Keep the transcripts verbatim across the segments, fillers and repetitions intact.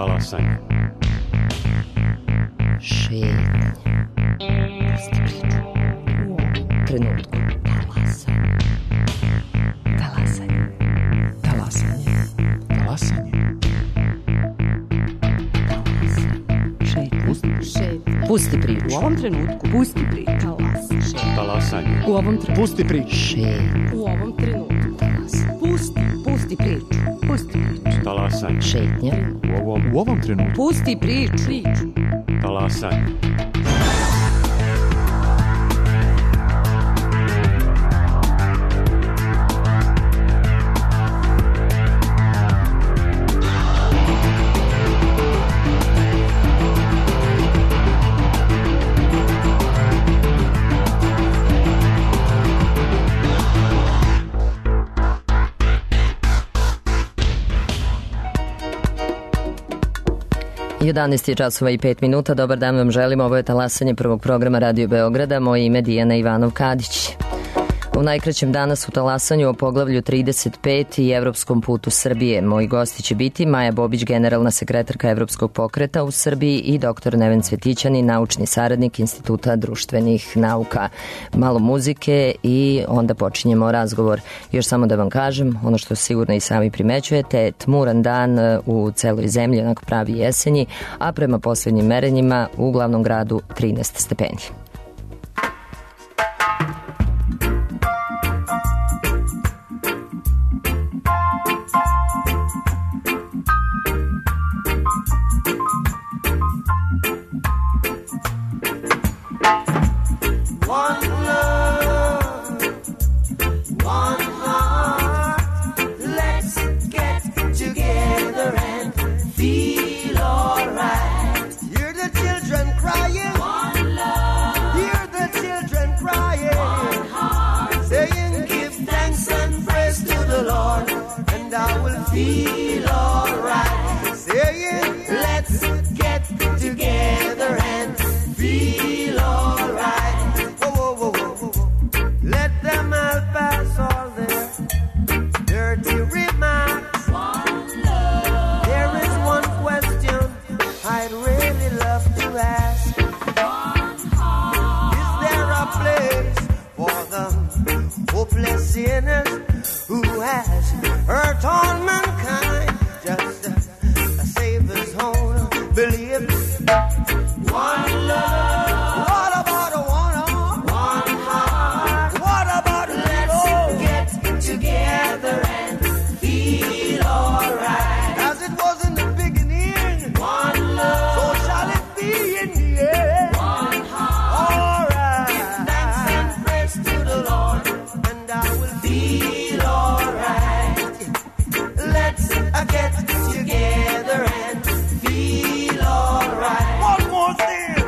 Talasanje. Šetnje. Pusti priču. U ovom trenutku. Talasanje. Talasanje. Talasanje. Šetnje. Pusti, Pusti priču. u ovom trenutku. Pusti priču. Talasanje. Talasanje. U ovom trenutku. Pusti priču. Šetnje. U ovom trenutku. Talasanje. Pusti, pusti priču. Pusti priču. Talasanje. Šetnje. U ovom, U ovom trenutku. Pusti priču. Priču. talasanje. jedanaest je časova i pet minuta. Dobar dan vam želim. Ovo je talasanje prvog programa Radio Beograda. Moje ime je Dijana Ivanov-Kadić. U najkraćem danas u talasanju o poglavlju trideset pet i evropskom putu Srbije. Moji gosti će biti Maja Bobić, generalna sekretarka Evropskog pokreta u Srbiji, i doktor Neven Cvetićanin, naučni saradnik Instituta društvenih nauka. Malo muzike i onda počinjemo razgovor. Još samo da vam kažem, ono što sigurno i sami primećujete, tmuran dan u celoj zemlji, onako pravi jesenji, a prema poslednjim merenjima u glavnom gradu trinaest stepeni. Feel alright, saying let's get together and feel alright. Whoa, whoa, whoa, whoa, whoa. Let them all pass all their dirty remarks. One love. There is one question I'd really love to ask. One heart. Is there a place for the hopeless sinners who has hurt all mankind, just a, a Savior's own belief? One love. What about a one, one heart? What about a let's get together and feel alright? As it was in the beginning, one love. So shall it be in the end. One heart. Alright. Give thanks and praise to the Lord, and I will feel alright. Let's get together and feel alright. One more thing.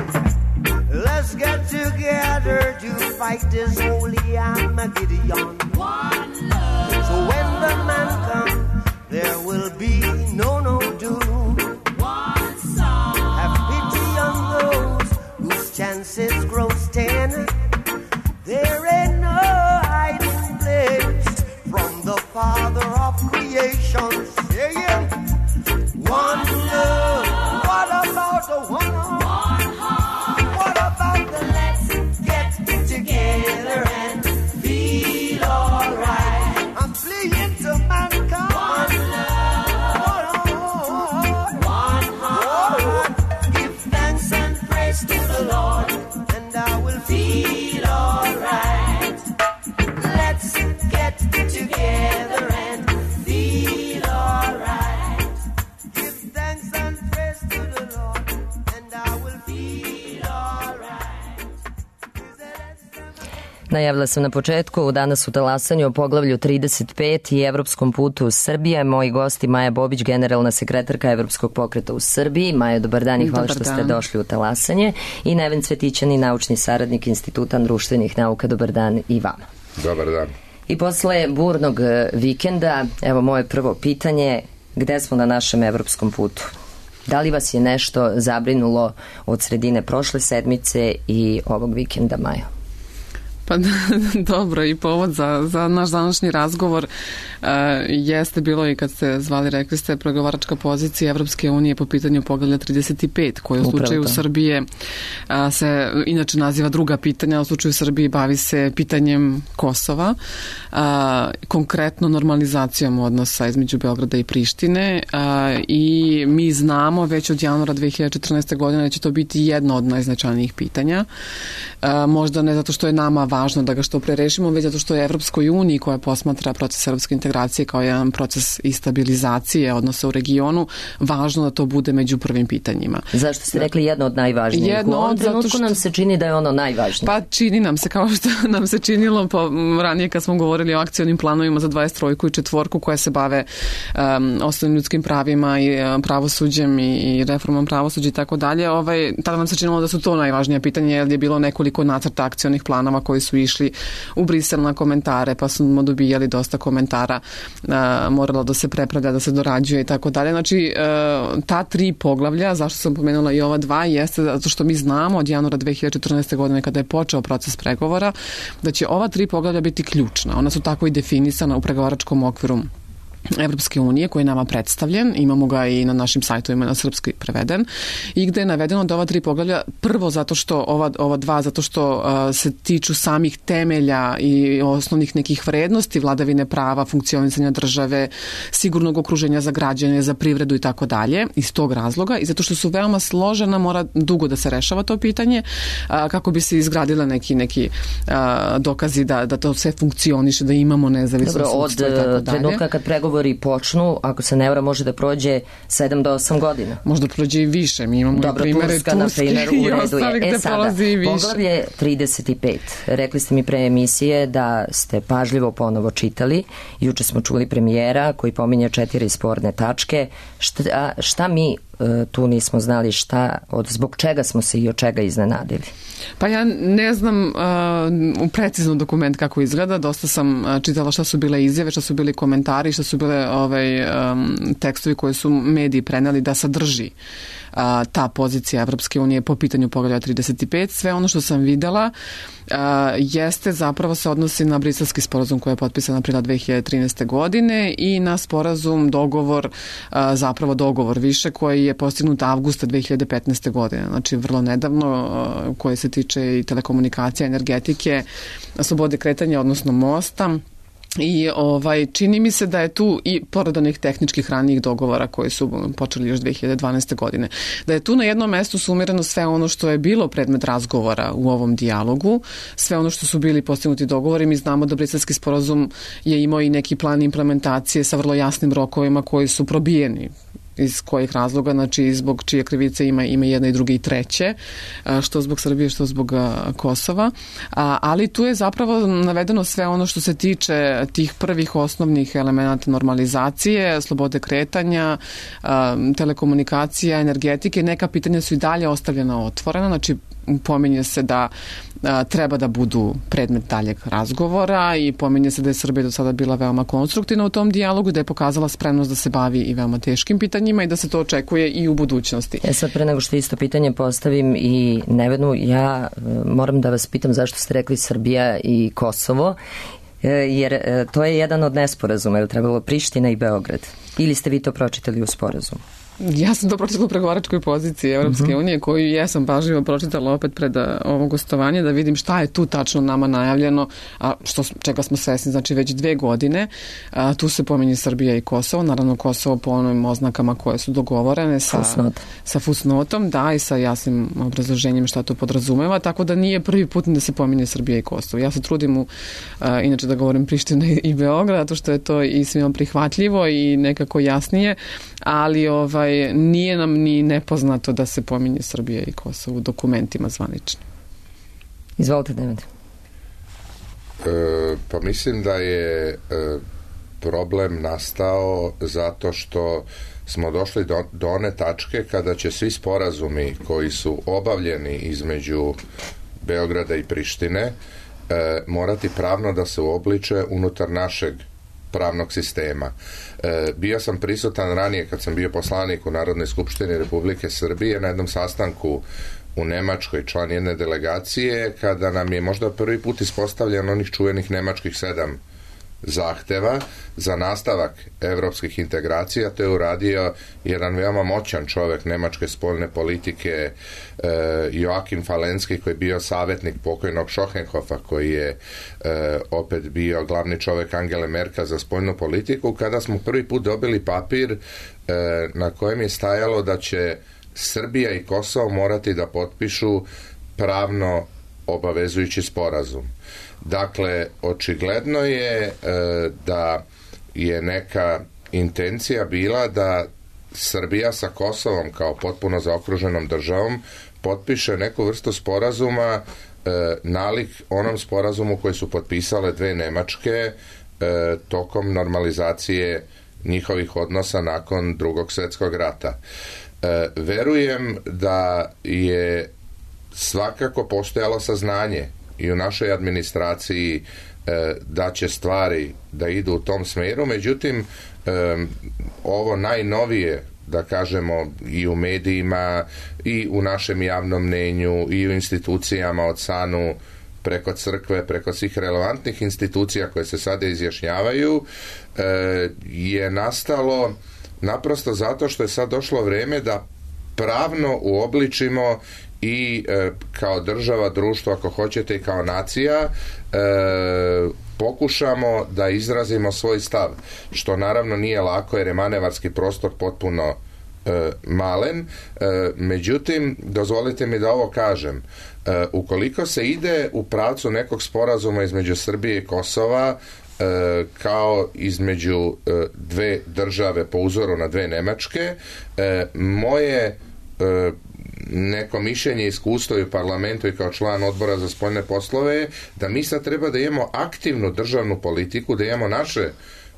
Let's get together to fight this holy Armageddon. One love. So when the man comes, there will be no, no doom. One song. Have pity on those whose chances grow ten. There ain't no hiding place from the Father of creation, saying one love. What about the one heart? What about the let's get together and feel alright? I'm pleading to mankind. One love. One heart. Give thanks and praise to the Lord, and I will feel alright. Let's get together and feel alright. Give thanks and praise to the Lord, and I will feel alright. Najavila sam na početku, danas u talasanju o poglavlju trideset pet i evropskom putu Srbije. Moji gosti Maja Bobić, generalna sekretarka Evropskog pokreta u Srbiji. Maja, dobar dan i hvala dobar što dan. ste došli u talasanje. I Neven Cvetićanin, naučni saradnik Instituta društvenih nauka. Dobar dan i vama. Dobar dan. I posle burnog vikenda, evo moje prvo pitanje, gde smo na našem evropskom putu? Da li vas je nešto zabrinulo od sredine prošle sedmice i ovog vikenda, Maja? Pa dobro, i povod za, za naš današnji razgovor uh, jeste bilo i kad ste zvali, rekli ste, pregovaračka pozicija Evropske unije po pitanju poglavlja trideset pet, koje u slučaju Upravo. Srbije uh, se inače naziva druga pitanja, u slučaju Srbije bavi se pitanjem Kosova, uh, konkretno normalizacijom odnosa između Beograda i Prištine uh, i mi znamo već od januara dve hiljade četrnaeste. godine da će to biti jedno od najznačajnijih pitanja. Uh, možda ne zato što je nama važno da ga što pre rešimo, već zato što je Evropskoj uniji koja posmatra proces evropske integracije kao jedan proces i stabilizacije odnosa u regionu, važno da to bude među prvim pitanjima. Zašto ste rekli jedno od najvažnijih? Jedno u ovom trenutku što... nam se čini da je ono najvažnije. Pa čini nam se, kao što nam se činilo po, ranije kad smo govorili o akcionim planovima za dvadeset trojku i četvorku koje se bave um, osnovnim ljudskim pravima i um, pravosuđem i, i reformom pravosuđa i tako dalje. Ovaj, tada nam se činilo da su to najvažnija pitanja, jer je bilo nekoliko nacrta akcionih planova koji su išli u Brisel na komentare, pa smo dobijali dosta komentara, uh, moralo da se prepravlja, da se dorađuje i tako dalje. Znači, uh, ta tri poglavlja, zašto sam pomenula i ova dva, jeste zato što mi znamo od januara dve hiljade četrnaeste. godine kada je počeo proces pregovora, da će ova tri poglavlja biti ključna. Ona su tako i definisana u pregovaračkom okviru Evropske unije koji je nama predstavljen, imamo ga i na našim sajtovima na srpski preveden i gde je navedeno da ova tri poglavlja, prvo zato što ova, ova dva zato što uh, se tiču samih temelja i osnovnih nekih vrednosti, vladavine prava, funkcionisanja države, sigurnog okruženja za građane, za privredu i tako dalje, iz tog razloga i zato što su veoma složena, mora dugo da se rešava to pitanje uh, kako bi se izgradile neki, neki uh, dokazi da, da to sve funkcioniše, da imamo nezavisno Dobro, sudstvo i tako dalje. Od trenutka kad pregovori počnu, ako se ne vara, može da prođe sedam do osam godina. Možda prođe i više. Mi imamo Dobro, i primere Turska, Turske na primjer, i ostalih gde prolazi i više. Poglavlje trideset pet. Rekli ste mi pre emisije da ste pažljivo ponovo čitali. Juče smo čuli premijera koji pominje četiri sporne tačke. Šta, šta mi tu nismo znali, šta, od, zbog čega smo se i od čega iznenadili? Pa ja ne znam uh, precizno dokument kako izgleda, dosta sam uh, čitala šta su bile izjave, šta su bili komentari, šta su bile ovaj, um, tekstovi koje su mediji preneli da sadrži uh, ta pozicija Evropske unije po pitanju poglavlja trideset pet. Sve ono što sam videla uh, jeste zapravo se odnosi na briselski sporazum koji je potpisan aprila dve hiljade trinaeste. godine i na sporazum, dogovor, uh, zapravo dogovor više koji je postignut avgusta dve hiljade petnaeste. godine, znači vrlo nedavno, uh, koje se tiče i telekomunikacija, energetike, slobode kretanja, odnosno mosta. I ovaj, čini mi se da je tu i pored onih tehničkih ranijih dogovora koji su počeli još dve hiljade dvanaeste. godine, da je tu na jednom mestu sumirano sve ono što je bilo predmet razgovora u ovom dijalogu, sve ono što su bili postignuti dogovori. Mi znamo da briselski sporazum je imao i neki plan implementacije sa vrlo jasnim rokovima koji su probijeni. Iz kojih razloga, znači zbog čije krivice ima, ima jedna i druge i treće, što zbog Srbije, što zbog Kosova, ali tu je zapravo navedeno sve ono što se tiče tih prvih osnovnih elemenata normalizacije, slobode kretanja, telekomunikacija, energetike. Neka pitanja su i dalje ostavljena otvorena, znači pominje se da a, treba da budu predmet daljeg razgovora i pominje se da je Srbija do sada bila veoma konstruktivna u tom dijalogu, da je pokazala spremnost da se bavi i veoma teškim pitanjima i da se to očekuje i u budućnosti. E sad, pre nego što isto pitanje postavim i Nevenu, ja moram da vas pitam zašto ste rekli Srbija i Kosovo, jer to je jedan od nesporazuma, je li trebalo Priština i Beograd? Ili ste vi to pročitali u sporazumu? Ja sam to pročitala u pregovaračkoj poziciji Evropske uh-huh. unije, koju jesam pažljivo pročitala opet pred ovo gostovanje, da vidim šta je tu tačno nama najavljeno, a što, čega smo svesni, znači već dve godine. A, tu se pominje Srbija i Kosovo, naravno Kosovo po onim oznakama koje su dogovorene sa, Fusnot. sa fusnotom, da, i sa jasnim obrazloženjem šta to podrazumeva, tako da nije prvi put da se pominje Srbija i Kosovo. Ja se trudim u, a, inače da govorim Priština i Beograd, zato što je to i svima prihvatljivo i nekako jasnije, ali ovaj nije nam ni nepoznato da se pominje Srbija i Kosovo u dokumentima zvaničnim. Izvolite, David. E, pa mislim da je e, problem nastao zato što smo došli do, do one tačke kada će svi sporazumi koji su obavljeni između Beograda i Prištine e, morati pravno da se uobliče unutar našeg pravnog sistema. E, bio sam prisutan ranije kad sam bio poslanik u Narodnoj skupštini Republike Srbije na jednom sastanku u Nemačkoj, član jedne delegacije, kada nam je možda prvi put ispostavljen onih čuvenih nemačkih sedam zahteva za nastavak evropskih integracija. To je uradio jedan veoma moćan čovjek nemačke spoljne politike, e, Joachim Falenski, koji je bio savjetnik pokojnog Schochenhofa, koji je e, opet bio glavni čovjek Angele Merkel za spoljnu politiku, kada smo prvi put dobili papir e, na kojem je stajalo da će Srbija i Kosovo morati da potpišu pravno obavezujući sporazum. Dakle, očigledno je e, da je neka intencija bila da Srbija sa Kosovom kao potpuno zaokruženom državom potpiše neku vrstu sporazuma e, nalik onom sporazumu koji su potpisale dve Nemačke e, tokom normalizacije njihovih odnosa nakon Drugog svjetskog rata. E, verujem da je svakako postojalo saznanje i u našoj administraciji e, da će stvari da idu u tom smjeru, međutim e, ovo najnovije, da kažemo, i u medijima i u našem javnom mnenju i u institucijama od Sanu preko crkve, preko svih relevantnih institucija koje se sada izjašnjavaju, e, je nastalo naprosto zato što je sad došlo vrijeme da pravno uobličimo i e, kao država, društvo, ako hoćete, i kao nacija e, pokušamo da izrazimo svoj stav, što naravno nije lako jer je manevarski prostor potpuno e, malen. E, međutim, dozvolite mi da ovo kažem. E, ukoliko se ide u pravcu nekog sporazuma između Srbije i Kosova, e, kao između e, dve države po uzoru na dve Nemačke, e, moje e, neko mišljenje, iskustvo i u parlamentu i kao član odbora za spoljne poslove je da mi sad treba da imamo aktivnu državnu politiku, da imamo naše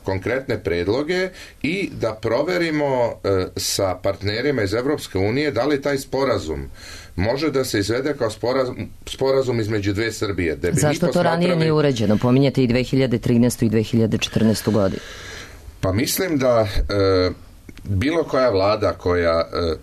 konkretne predloge i da proverimo e, sa partnerima iz Evropske unije da li taj sporazum može da se izvede kao sporazum, sporazum između dve Srbije. Da bi Zašto mi to ranije nije uređeno? Pominjete i dve hiljade trinaestu i dve hiljade četrnaestu godinu. Pa mislim da e, bilo koja vlada koja e,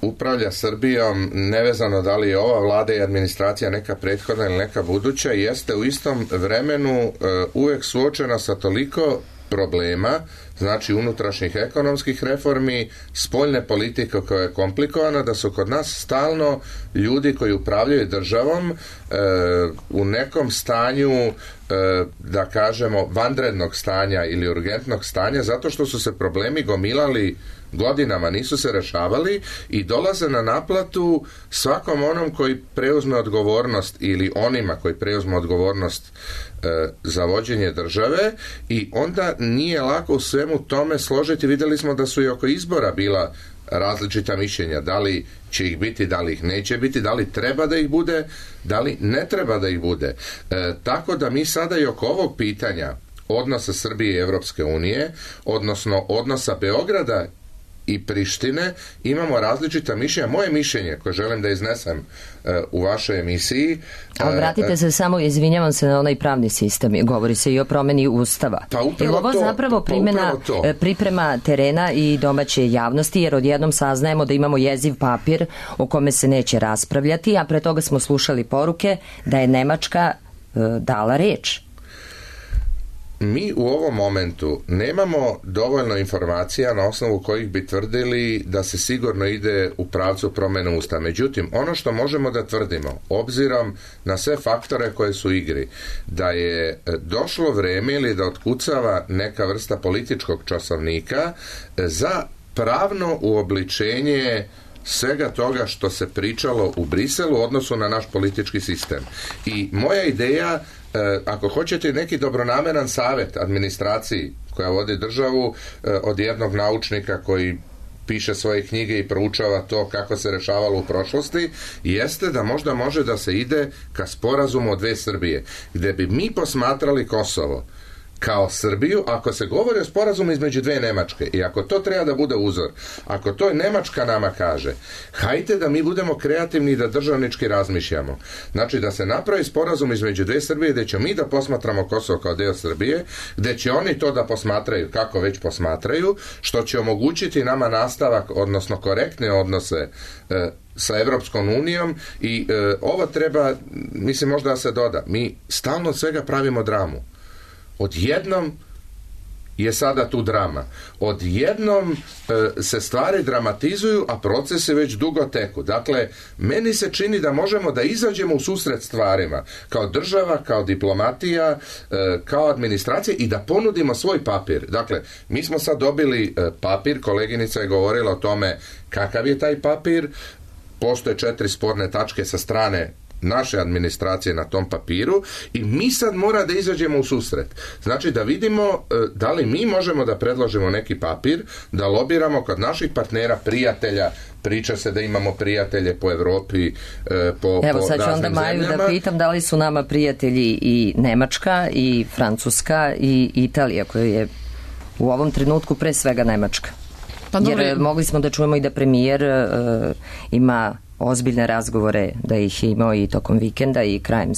upravlja Srbijom, nevezano da li je ova vlada i administracija neka prethodna ili neka buduća, jeste u istom vremenu e, uvek suočena sa toliko problema, znači unutrašnjih ekonomskih reformi, spoljne politike koja je komplikovana, da su kod nas stalno ljudi koji upravljaju državom e, u nekom stanju, e, da kažemo, vanrednog stanja ili urgentnog stanja, zato što su se problemi gomilali godinama, nisu se rešavali i dolaze na naplatu svakom onom koji preuzme odgovornost ili onima koji preuzme odgovornost e, za vođenje države, i onda nije lako u svemu tome složiti. Vidjeli smo da su i oko izbora bila različita mišljenja, da li će ih biti, da li ih neće biti, da li treba da ih bude, da li ne treba da ih bude. E, tako da mi sada i oko ovog pitanja odnosa Srbije i Evropske unije, odnosno odnosa Beograda i Prištine, imamo različita mišljenja. Moje mišljenje, koje želim da iznesem uh, u vašoj emisiji... A obratite uh, se samo, izvinjavam se, na onaj pravni sistem. Govori se i o promeni Ustava. Pa upravo ovo to, zapravo primjena, pa upravo to. priprema terena i domaće javnosti, jer odjednom saznajemo da imamo jeziv papir o kome se neće raspravljati, a pre toga smo slušali poruke da je Nemačka uh, dala reč. Mi u ovom momentu nemamo dovoljno informacija na osnovu kojih bi tvrdili da se sigurno ide u pravcu promjene Ustava. Međutim, ono što možemo da tvrdimo, obzirom na sve faktore koje su u igri, da je došlo vrijeme ili da otkucava neka vrsta političkog časovnika za pravno uobličenje svega toga što se pričalo u Briselu u odnosu na naš politički sistem. I moja ideja, e, ako hoćete neki dobronameran savjet administraciji koja vodi državu, e, od jednog naučnika koji piše svoje knjige i proučava to kako se rešavalo u prošlosti, jeste da možda može da se ide ka sporazumu o dve Srbije, gde bi mi posmatrali Kosovo kao Srbiju, ako se govori o sporazumu između dve Nemačke i ako to treba da bude uzor, ako to Nemačka nama kaže, hajte da mi budemo kreativni i da državnički razmišljamo. Znači da se napravi sporazum između dve Srbije gde ćemo mi da posmatramo Kosovo kao deo Srbije, gde će oni to da posmatraju kako već posmatraju, što će omogućiti nama nastavak, odnosno korektne odnose e, sa Evropskom unijom i e, ovo treba, mislim možda da se doda, mi stalno od svega pravimo dramu. Odjednom je sada tu drama. Odjednom e, se stvari dramatizuju, a procesi već dugo teku. Dakle, meni se čini da možemo da izađemo u susret stvarima kao država, kao diplomatija, e, kao administracija i da ponudimo svoj papir. Dakle, mi smo sad dobili e, papir, koleginica je govorila o tome kakav je taj papir, postoje četiri sporne tačke sa strane naše administracije na tom papiru i mi sad mora da izađemo u susret. Znači da vidimo da li mi možemo da predložimo neki papir, da lobiramo kod naših partnera, prijatelja, priča se da imamo prijatelje po Evropi, po, Evo, po sad ću onda Maju zemljama. da pitam da li su nama prijatelji i Nemačka, i Francuska, i Italija, koja je u ovom trenutku pre svega Nemačka. Pa Jer dobro. mogli smo da čujemo i da premijer uh, ima ozbiljne razgovore, da ih je imao i tokom vikenda i krajem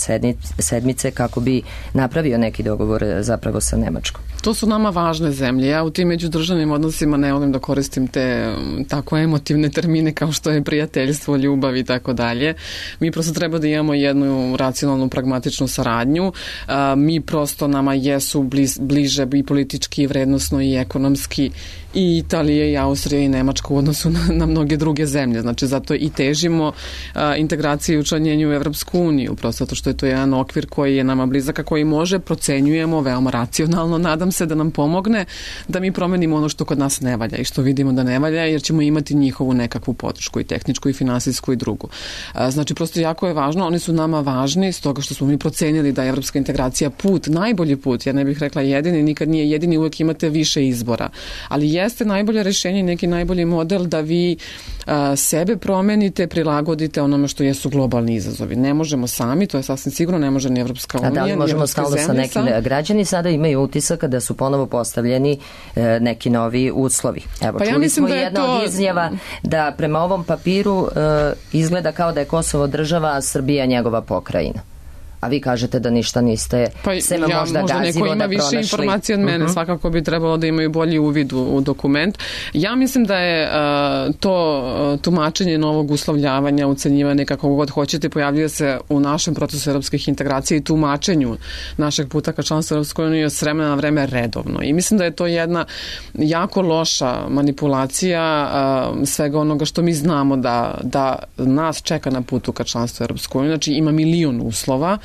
sedmice kako bi napravio neki dogovor zapravo sa Nemačkom. To su nama važne zemlje. Ja u tim međudržavnim odnosima ne volim da koristim te tako emotivne termine kao što je prijateljstvo, ljubav i tako dalje. Mi prosto treba da imamo jednu racionalnu, pragmatičnu saradnju. A, mi prosto nama jesu bliz, bliže i politički, i vrednosno, i ekonomski i Italija, i Austrija, i Nemačka u odnosu na, na mnoge druge zemlje. Znači, zato i težimo a, integraciju i učlanjenju u Evropsku uniju, prosto zato što je to jedan okvir koji je nama blizak, a koji može, procenjujemo veoma racionalno, nadam se da nam pomogne da mi promenimo ono što kod nas ne valja i što vidimo da ne valja, jer ćemo imati njihovu nekakvu podršku i tehničku i finansijsku i drugu. A, znači, prosto jako je važno, oni su nama važni stoga što smo mi procenili da je evropska integracija put, najbolji put, ja ne bih rekla jedini, nikad nije jedini, uvek imate više izbora, ali jeste najbolje rešenje, neki najbolji model da vi a, sebe promenite, prilagodite onome što jesu globalni izazovi. Ne možemo sami, to je sasvim sigurno, ne može ni Evropska unija. A da li možemo stalno sa nekim sam... građani sada imaju utisak da su ponovo postavljeni e, neki novi uslovi. Evo, pa čuli ja smo da jedna to... od izjava da prema ovom papiru e, izgleda kao da je Kosovo država, a Srbija njegova pokrajina. A vi kažete da ništa niste pa sema ja, možda možda gazivo neko ima da više pronašli. Informacije od mene, uh-huh. Svakako bi trebalo da imaju bolji uvid u, u dokument. Ja mislim da je uh, to uh, tumačenje novog uslovljavanja, ucenjivanja, kako god hoćete, pojavljuje se u našem procesu evropskih integracija i tumačenju našeg puta ka članstvu Evropskoj uniji s vremena na vreme redovno. I mislim da je to jedna jako loša manipulacija uh, svega onoga što mi znamo da, da nas čeka na putu ka članstvu Evropskoj uniji. Znači ima milion uslova.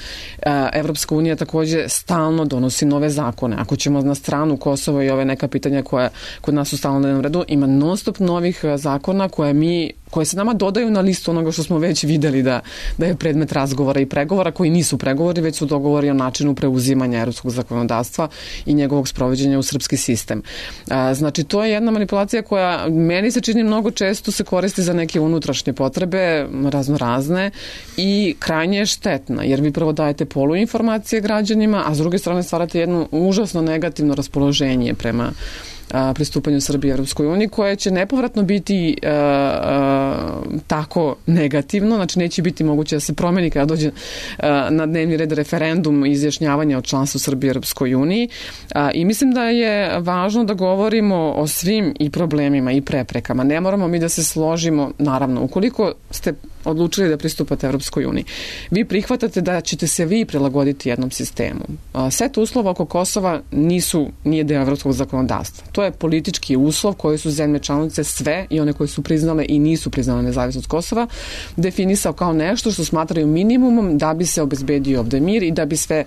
Evropska unija takođe stalno donosi nove zakone. Ako ćemo na stranu Kosova i ove neka pitanja koja kod nas su stalno na jednom redu, ima non stop novih zakona koje mi koje se nama dodaju na listu onoga što smo već videli da, da je predmet razgovora i pregovora, koji nisu pregovori, već su dogovori o načinu preuzimanja evropskog zakonodavstva i njegovog sprovođenja u srpski sistem. A, znači, to je jedna manipulacija koja meni se čini mnogo često se koristi za neke unutrašnje potrebe, raznorazne, i krajnje je štetna, jer vi prvo dajete poluinformacije građanima, a s druge strane stvarate jedno užasno negativno raspoloženje prema a, pristupanju Srbije Evropskoj uniji, koje će nepovratno biti a, a, tako negativno, znači neće biti moguće da se promeni kada dođe a, na dnevni red referendum i izjašnjavanja o članstvu Srbije Evropskoj uniji. A, I mislim da je važno da govorimo o svim i problemima i preprekama. Ne moramo mi da se složimo, naravno, ukoliko ste odlučili da pristupate Evropskoj uniji. Vi prihvatate da ćete se vi prilagoditi jednom sistemu. Set uslova oko Kosova nisu, nije deo evropskog zakonodavstva. To je politički uslov koji su zemlje članice sve i one koje su priznale i nisu priznale nezavisnost Kosova definisao kao nešto što smatraju minimumom da bi se obezbedio ovde mir i da bi sve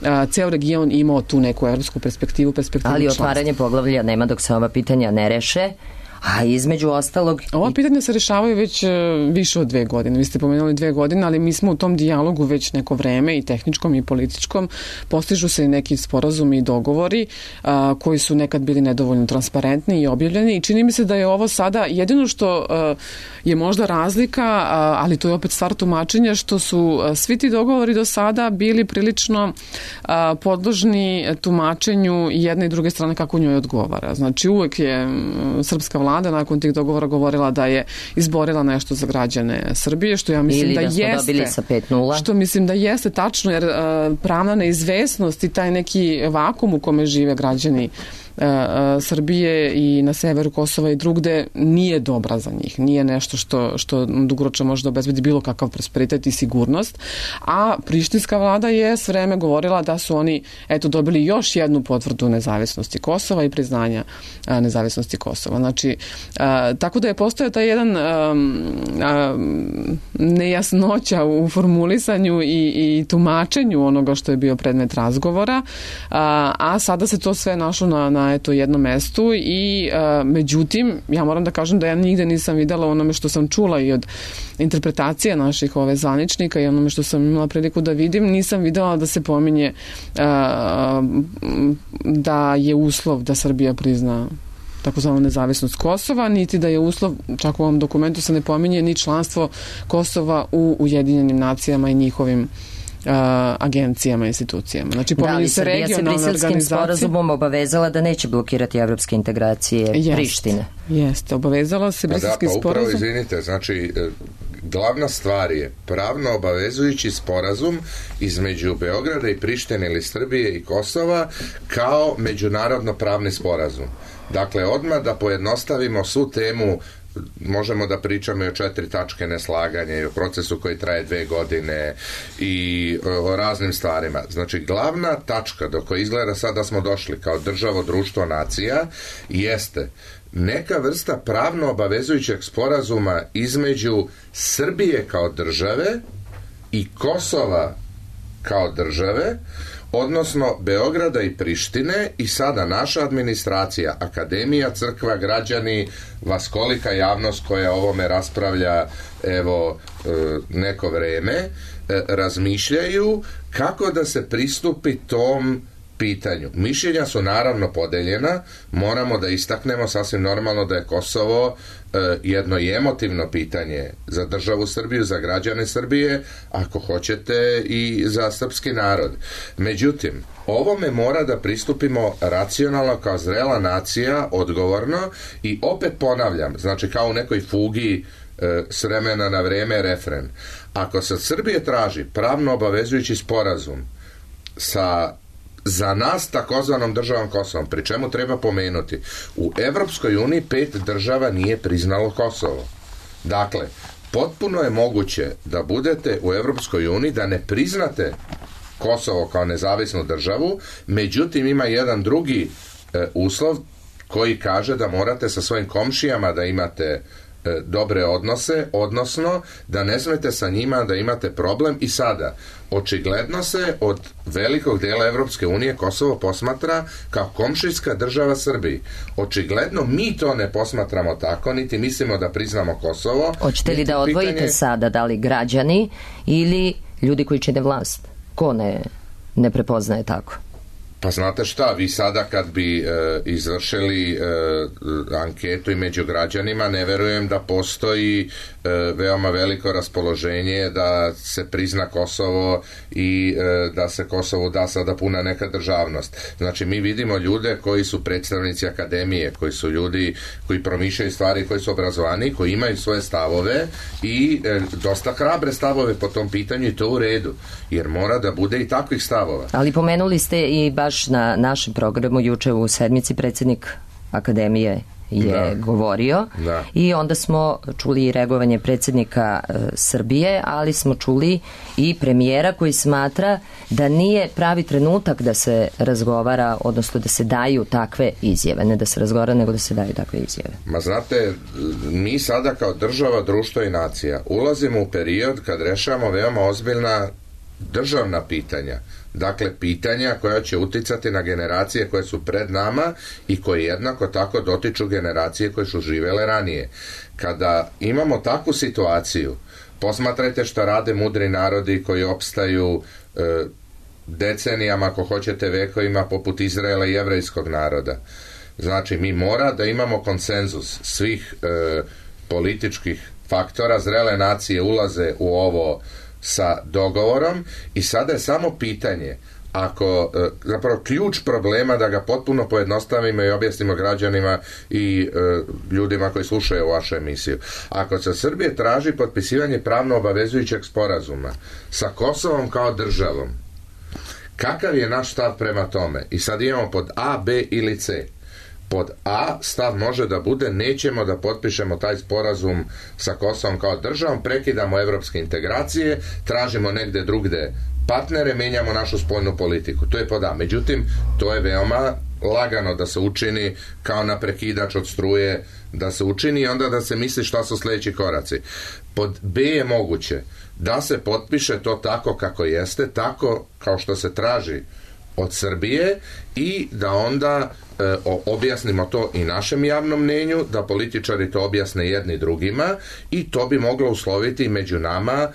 a, ceo region imao tu neku evropsku perspektivu, perspektivu Ali članstva. otvaranje poglavlja nema dok se ova pitanja ne reše. A između ostalog... Ova pitanja se rešavaju već više od dve godine. Vi ste pomenuli dve godine, ali mi smo u tom dijalogu već neko vreme, i tehničkom i političkom. Postižu se i neki sporazumi i dogovori a, koji su nekad bili nedovoljno transparentni i objavljeni, i čini mi se da je ovo sada jedino što a, je možda razlika, a, ali to je opet stvar tumačenja, što su a, svi ti dogovori do sada bili prilično a, podložni tumačenju jedne i druge strane kako njoj odgovara. Znači uvek je m, srpska vlada nakon tih dogovora govorila da je izborila nešto za građane Srbije, što ja mislim Ili da, da smo jeste, dobili sa pet nula. Što mislim da jeste tačno, jer a, pravna neizvesnost i taj neki vakum u kome žive građani Srbije i na severu Kosova i drugde nije dobra za njih. Nije nešto što, što dugoročno može da obezbedi bilo kakav prosperitet i sigurnost. A prištinska vlada je s vreme govorila da su oni eto dobili još jednu potvrdu nezavisnosti Kosova i priznanja a, nezavisnosti Kosova. Znači, a, tako da je postojao taj jedan a, a, nejasnoća u formulisanju i, i tumačenju onoga što je bio predmet razgovora, a, a sada se to sve našlo na, na eto jednom mestu i a, međutim, ja moram da kažem da ja nigde nisam videla onome što sam čula i od interpretacije naših ove zvaničnika i onome što sam imala priliku da vidim, nisam videla da se pominje a, da je uslov da Srbija prizna takozvanu nezavisnost Kosova, niti da je uslov, čak u ovom dokumentu se ne pominje ni članstvo Kosova u Ujedinjenim nacijama i njihovim Uh, agencijama i institucijama. Znači, da, ali se Srbija se Briselskim sporazumom obavezala da neće blokirati evropske integracije Jest. Prištine. Jeste, obavezala se Briselski pa da, pa sporazum. Upravo, izvinite, znači, glavna stvar je pravno obavezujući sporazum između Beograda i Prištine ili Srbije i Kosova kao međunarodno pravni sporazum. Dakle, odmah da pojednostavimo svu temu, možemo da pričamo i o četiri tačke neslaganja i o procesu koji traje dve godine i o raznim stvarima. Znači, glavna tačka do koje izgleda sad da smo došli kao državo, društvo, nacija, jeste neka vrsta pravno obavezujućeg sporazuma između Srbije kao države i Kosova kao države, odnosno Beograda i Prištine, i sada naša administracija, akademija, crkva, građani, vaskolika javnost koja o ovome raspravlja evo neko vreme, razmišljaju kako da se pristupi tom pitanju. Mišljenja su naravno podeljena, moramo da istaknemo sasvim normalno da je Kosovo e, jedno i emotivno pitanje za državu Srbiju, za građane Srbije, ako hoćete i za srpski narod. Međutim, ovome mora da pristupimo racionalno kao zrela nacija, odgovorno, i opet ponavljam, znači kao u nekoj fugi e, s vremena na vreme refren. Ako se od Srbije traži pravno obavezujući sporazum sa za nas takozvanom državom Kosovom, pri čemu treba pomenuti, u Evropskoj uniji pet država nije priznalo Kosovo. Dakle, potpuno je moguće da budete u Evropskoj uniji, da ne priznate Kosovo kao nezavisnu državu, međutim ima jedan drugi e, uslov koji kaže da morate sa svojim komšijama da imate e, dobre odnose, odnosno da ne smete sa njima da imate problem. I sada, očigledno se od velikog dela Evropske unije Kosovo posmatra kao komšijska država Srbiji. Očigledno mi to ne posmatramo tako, niti mislimo da priznamo Kosovo. Hoćete li da odvojite pitanje... sada, da li građani ili ljudi koji čine vlast? Ko ne, ne prepoznaje tako? Pa znate šta, vi sada kad bi e, izvršili e, anketu i među građanima, ne verujem da postoji e, veoma veliko raspoloženje da se prizna Kosovo i e, da se Kosovu da sada puna neka državnost. Znači, mi vidimo ljude koji su predstavnici akademije, koji su ljudi koji promišljaju stvari, koji su obrazovani, koji imaju svoje stavove i e, dosta hrabre stavove po tom pitanju, i to u redu, jer mora da bude i takvih stavova. Ali pomenuli ste i baš na našem programu juče u sedmici predsjednik akademije je da. govorio da. I onda smo čuli i reagovanje predsjednika e, Srbije, ali smo čuli i premijera koji smatra da nije pravi trenutak da se razgovara, odnosno da se daju takve izjave, ne da se razgovara, nego da se daju takve izjave. Ma znate, mi sada kao država, društvo i nacija ulazimo u period kad rešavamo veoma ozbiljna državna pitanja, dakle pitanja koja će uticati na generacije koje su pred nama i koje jednako tako dotiču generacije koje su živjele ranije. Kada imamo takvu situaciju, posmatrajte šta rade mudri narodi koji opstaju e, decenijama, ako hoćete vekovima, poput Izraela i jevrejskog naroda. Znači, mi mora da imamo konsenzus svih e, političkih faktora, zrele nacije ulaze u ovo sa dogovorom i sada je samo pitanje, ako, e, zapravo ključ problema, da ga potpuno pojednostavimo i objasnimo građanima i e, ljudima koji slušaju vašu emisiju. Ako se Srbije traži potpisivanje pravno obavezujućeg sporazuma sa Kosovom kao državom, kakav je naš stav prema tome? I sad imamo pod A, B ili C. Pod A stav može da bude nećemo da potpišemo taj sporazum sa Kosovom kao državom, prekidamo evropske integracije, tražimo negde drugde partnere, menjamo našu spoljnu politiku. To je pod A. Međutim, to je veoma lagano da se učini kao na prekidač od struje, da se učini i onda da se misli šta su sljedeći koraci. Pod B je moguće da se potpiše to tako kako jeste, tako kao što se traži od Srbije i da onda e, objasnimo to i našem javnom mnenju, da političari to objasne jedni drugima i to bi moglo usloviti među nama e,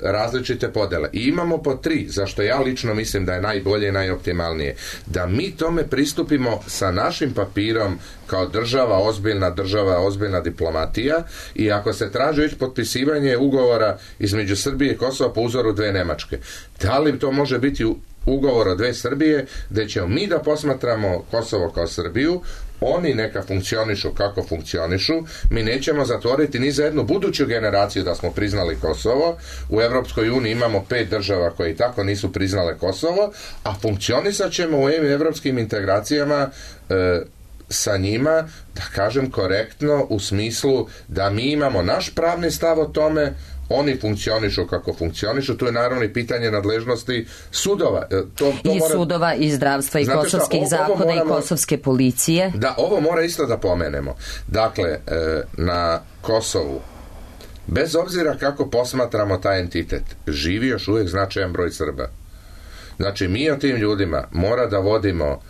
različite podele. I imamo po tri, zašto ja lično mislim da je najbolje i najoptimalnije, da mi tome pristupimo sa našim papirom kao država, ozbiljna država, ozbiljna diplomatija i ako se traži već potpisivanje ugovora između Srbije i Kosova po uzoru dve Nemačke, da li to može biti u ugovor o dve Srbije, gde ćemo mi da posmatramo Kosovo kao Srbiju, oni neka funkcionišu kako funkcionišu, mi nećemo zatvoriti ni za jednu buduću generaciju da smo priznali Kosovo. U Evropskoj uniji imamo pet država koje i tako nisu priznale Kosovo, a funkcionisat ćemo u evropskim integracijama e, sa njima, da kažem korektno, u smislu da mi imamo naš pravni stav o tome, oni funkcionišu kako funkcionišu, tu je naravno i pitanje nadležnosti sudova. To, to I mora... sudova, i zdravstva, i Znate kosovskih šta, zakona, moramo... i kosovske policije. Da, ovo mora isto da pomenemo. Dakle, na Kosovu, bez obzira kako posmatramo taj entitet, živi još uvijek značajan broj Srba. Znači, mi o tim ljudima mora da vodimo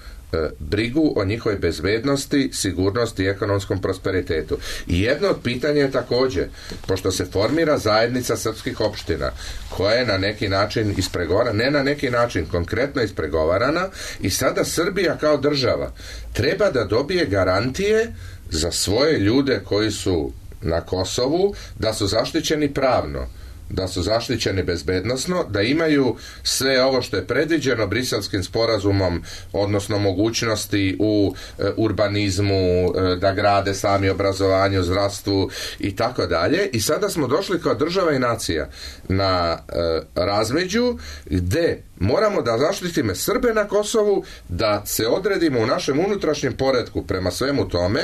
brigu o njihovoj bezbednosti, sigurnosti i ekonomskom prosperitetu. I jedno od pitanja je također, pošto se formira zajednica srpskih opština, koja je na neki način ispregovarana, ne na neki način, konkretno ispregovarana, i sada Srbija kao država treba da dobije garantije za svoje ljude koji su na Kosovu, da su zaštićeni pravno, da su zaštićeni bezbednosno, da imaju sve ovo što je predviđeno Briselskim sporazumom, odnosno mogućnosti u e, urbanizmu, e, da grade sami obrazovanje, zdravstvu i tako dalje. I sada smo došli kao država i nacija na e, razmeđu gde moramo da zaštitimo Srbe na Kosovu, da se odredimo u našem unutrašnjem poretku prema svemu tome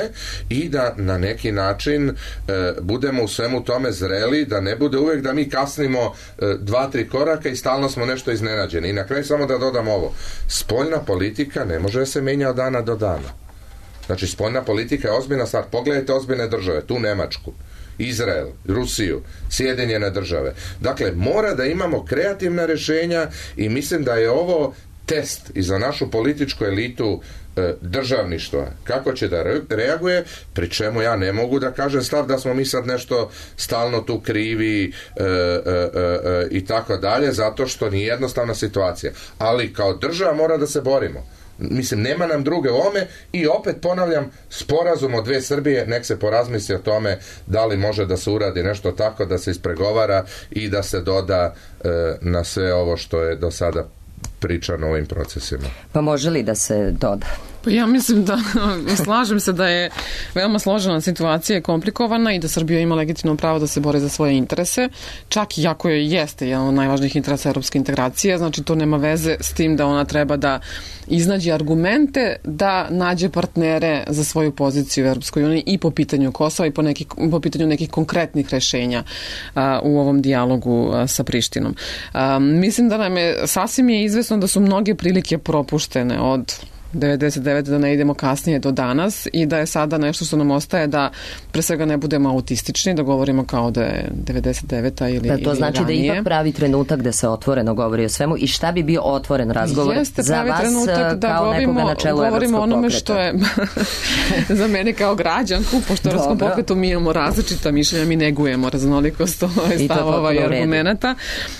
i da na neki način e, budemo u svemu tome zreli, da ne bude uvek da mi kasnimo e, dva, tri koraka i stalno smo nešto iznenađeni. I na kraju samo da dodam ovo. Spoljna politika ne može da se menja od dana do dana. Znači, spoljna politika je ozbiljna stvar. Pogledajte ozbiljne države, tu Nemačku, Izrael, Rusiju, Sjedinjene države. Dakle, mora da imamo kreativna rješenja i mislim da je ovo test i za našu političku elitu e, državništva, kako će da re, reaguje, pri čemu ja ne mogu da kažem stav da smo mi sad nešto stalno tu krivi e, e, e, i tako dalje, zato što nije jednostavna situacija. Ali kao država mora da se borimo. Mislim, nema nam druge ome i opet ponavljam, sporazum o dve Srbije, nek se porazmisli o tome da li može da se uradi nešto tako, da se ispregovara i da se doda e, na sve ovo što je do sada pričano o ovim procesima. Pa može li da se doda? Pa ja mislim da, slažem se da je veoma složena situacija, komplikovana i da Srbija ima legitimno pravo da se bori za svoje interese, čak i ako je jeste jedan od najvažnijih interesa evropske integracije, znači to nema veze s tim da ona treba da iznađe argumente da nađe partnere za svoju poziciju u Evropskoj uniji i po pitanju Kosova i po, neki, po pitanju nekih konkretnih rešenja a, u ovom dijalogu a, sa Prištinom. A, mislim da nam je sasvim je izvesno da su mnoge prilike propuštene od devedeset devete da ne idemo kasnije do danas i da je sada nešto što nam ostaje da pre svega ne budemo autistični, da govorimo kao da je devedeset deveta ili, da, to ili znači ranije. Da ipak pravi trenutak da se otvoreno govori o svemu i šta bi bio otvoren razgovor Jeste za pravi vas trenutak da kao govorimo, nekoga na čelu govorimo Evropskog onome pokreta? što je za mene kao građanku, pošto u Evropskom pokretu mi imamo različita mišljenja, mi negujemo raznolikost stavova i argumenata,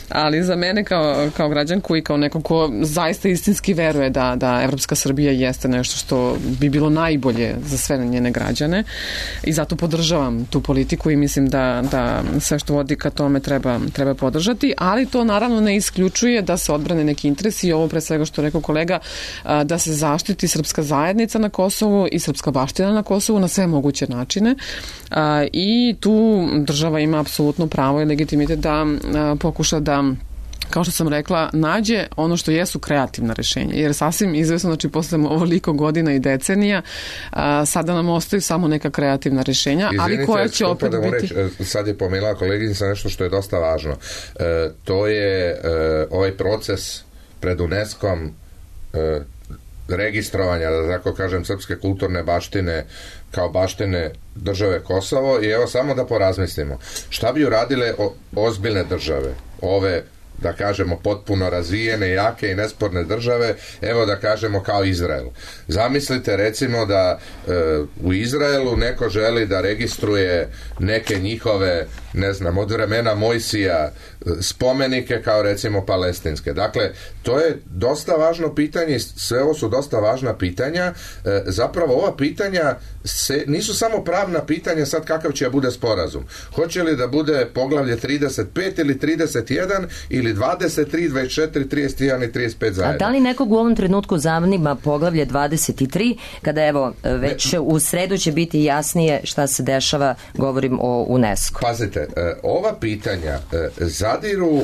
ali za mene kao, kao građanku i kao neko ko zaista istinski veruje da, da Evropska Srbija jeste nešto što bi bilo najbolje za sve njene građane i zato podržavam tu politiku i mislim da, da sve što vodi ka tome treba, treba podržati, ali to naravno ne isključuje da se odbrane neki interesi i ovo pre svega što rekao kolega, da se zaštiti srpska zajednica na Kosovu i srpska baština na Kosovu na sve moguće načine i tu država ima apsolutno pravo i legitimitet da pokuša da, kao što sam rekla, nađe ono što jesu kreativna rešenja. Jer sasvim izvesno, znači posle ovoliko godina i decenija, a, sada nam ostaju samo neka kreativna rešenja, Izvinite, ali koja će opet da biti... Reći, sad je pomenula koleginica nešto što je dosta važno. E, to je e, ovaj proces pred UNESCO-om e, registrovanja, da tako kažem, srpske kulturne baštine kao baštine države Kosovo i evo samo da porazmislimo. Šta bi uradile o, ozbiljne države, ove da kažemo potpuno razvijene, jake i nesporne države, evo da kažemo kao Izrael. Zamislite recimo da e, u Izraelu neko želi da registruje neke njihove, ne znam, od vremena Mojsija spomenike kao recimo palestinske. Dakle, to je dosta važno pitanje, sve ovo su dosta važna pitanja. E, zapravo ova pitanja se, nisu samo pravna pitanja sad kakav će bude sporazum. Hoće li da bude poglavlje trideset pet ili trideset jedan ili dvadeset tri, dvadeset četiri, trideset jedan i trideset pet zajedno. A da li nekog u ovom trenutku zanima poglavlje dvadeset tri, kada evo već ne, u sredu će biti jasnije šta se dešava, govorim o UNESCO. Pazite, ova pitanja zadiru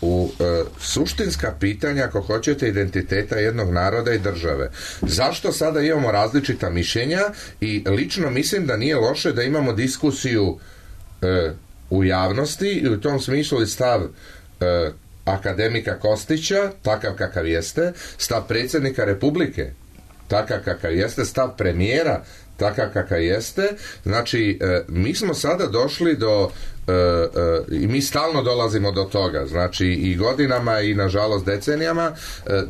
u suštinska pitanja, ako hoćete, identiteta jednog naroda i države. Zašto sada imamo različita mišljenja i lično mislim da nije loše da imamo diskusiju u javnosti i u tom smislu i stav akademika Kostića, takav kakav jeste, stav predsjednika Republike, takav kakav jeste, stav premijera, takav kakav jeste. Znači, mi smo sada došli do i mi stalno dolazimo do toga, znači i godinama i nažalost decenijama,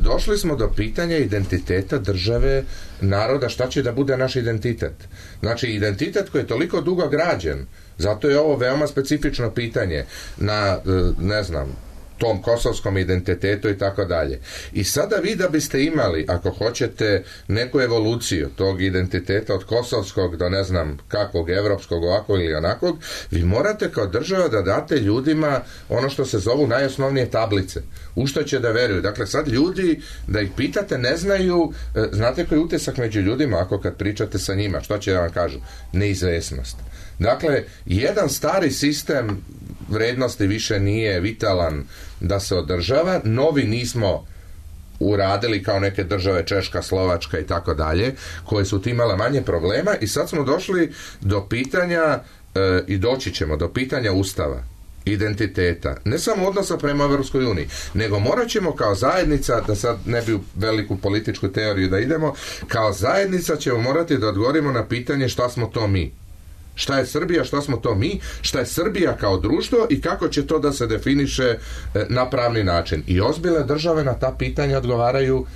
došli smo do pitanja identiteta države, naroda, šta će da bude naš identitet. Znači, identitet koji je toliko dugo građen, zato je ovo veoma specifično pitanje na, ne znam, tom kosovskom identitetu i tako dalje. I sada vi da biste imali, ako hoćete, neku evoluciju tog identiteta od kosovskog do ne znam kakvog, evropskog, ovakvog ili onakvog, vi morate kao država da date ljudima ono što se zovu najosnovnije tablice. U što će da veruju. Dakle, sad ljudi, da ih pitate, ne znaju, znate koji je utisak među ljudima ako kad pričate sa njima, što će da vam kažu? Neizvesnost. Dakle, jedan stari sistem vrednosti više nije vitalan da se održava, novi nismo uradili kao neke države Češka, Slovačka i tako dalje, koje su imale manje problema i sad smo došli do pitanja e, i doći ćemo do pitanja Ustava, identiteta, ne samo odnosa prema Evropskoj uniji, nego morat ćemo kao zajednica, da sad ne bi u veliku političku teoriju da idemo, kao zajednica ćemo morati da odgovorimo na pitanje šta smo to mi. Šta je Srbija, šta smo to mi, šta je Srbija kao društvo i kako će to da se definiše na pravni način. I ozbiljne države na ta pitanja odgovaraju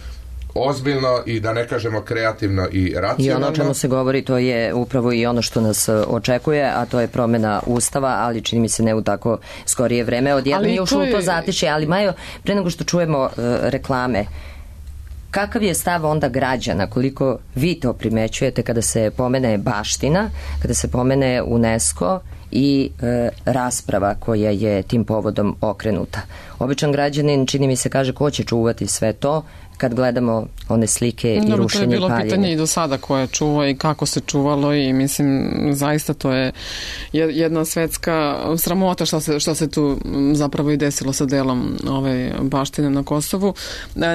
ozbiljno i da ne kažemo kreativno i racionalno. I ono o čemu se govori, to je upravo i ono što nas očekuje, a to je promjena Ustava, ali čini mi se ne u tako skorije vreme. Odjednom je ušlo u to zatišje, ali Majo, pre nego što čujemo uh, reklame, kakav je stav onda građana, koliko vi to primećujete kada se pomene baština, kada se pomene UNESCO i e, rasprava koja je tim povodom okrenuta? Običan građanin, čini mi se, kaže ko će čuvati sve to kad gledamo one slike i Dobro, rušenje i paljenje. To je bilo pitanje i do sada koje čuva i kako se čuvalo i mislim zaista to je jedna svetska sramota šta se, šta se tu zapravo i desilo sa delom ove baštine na Kosovu.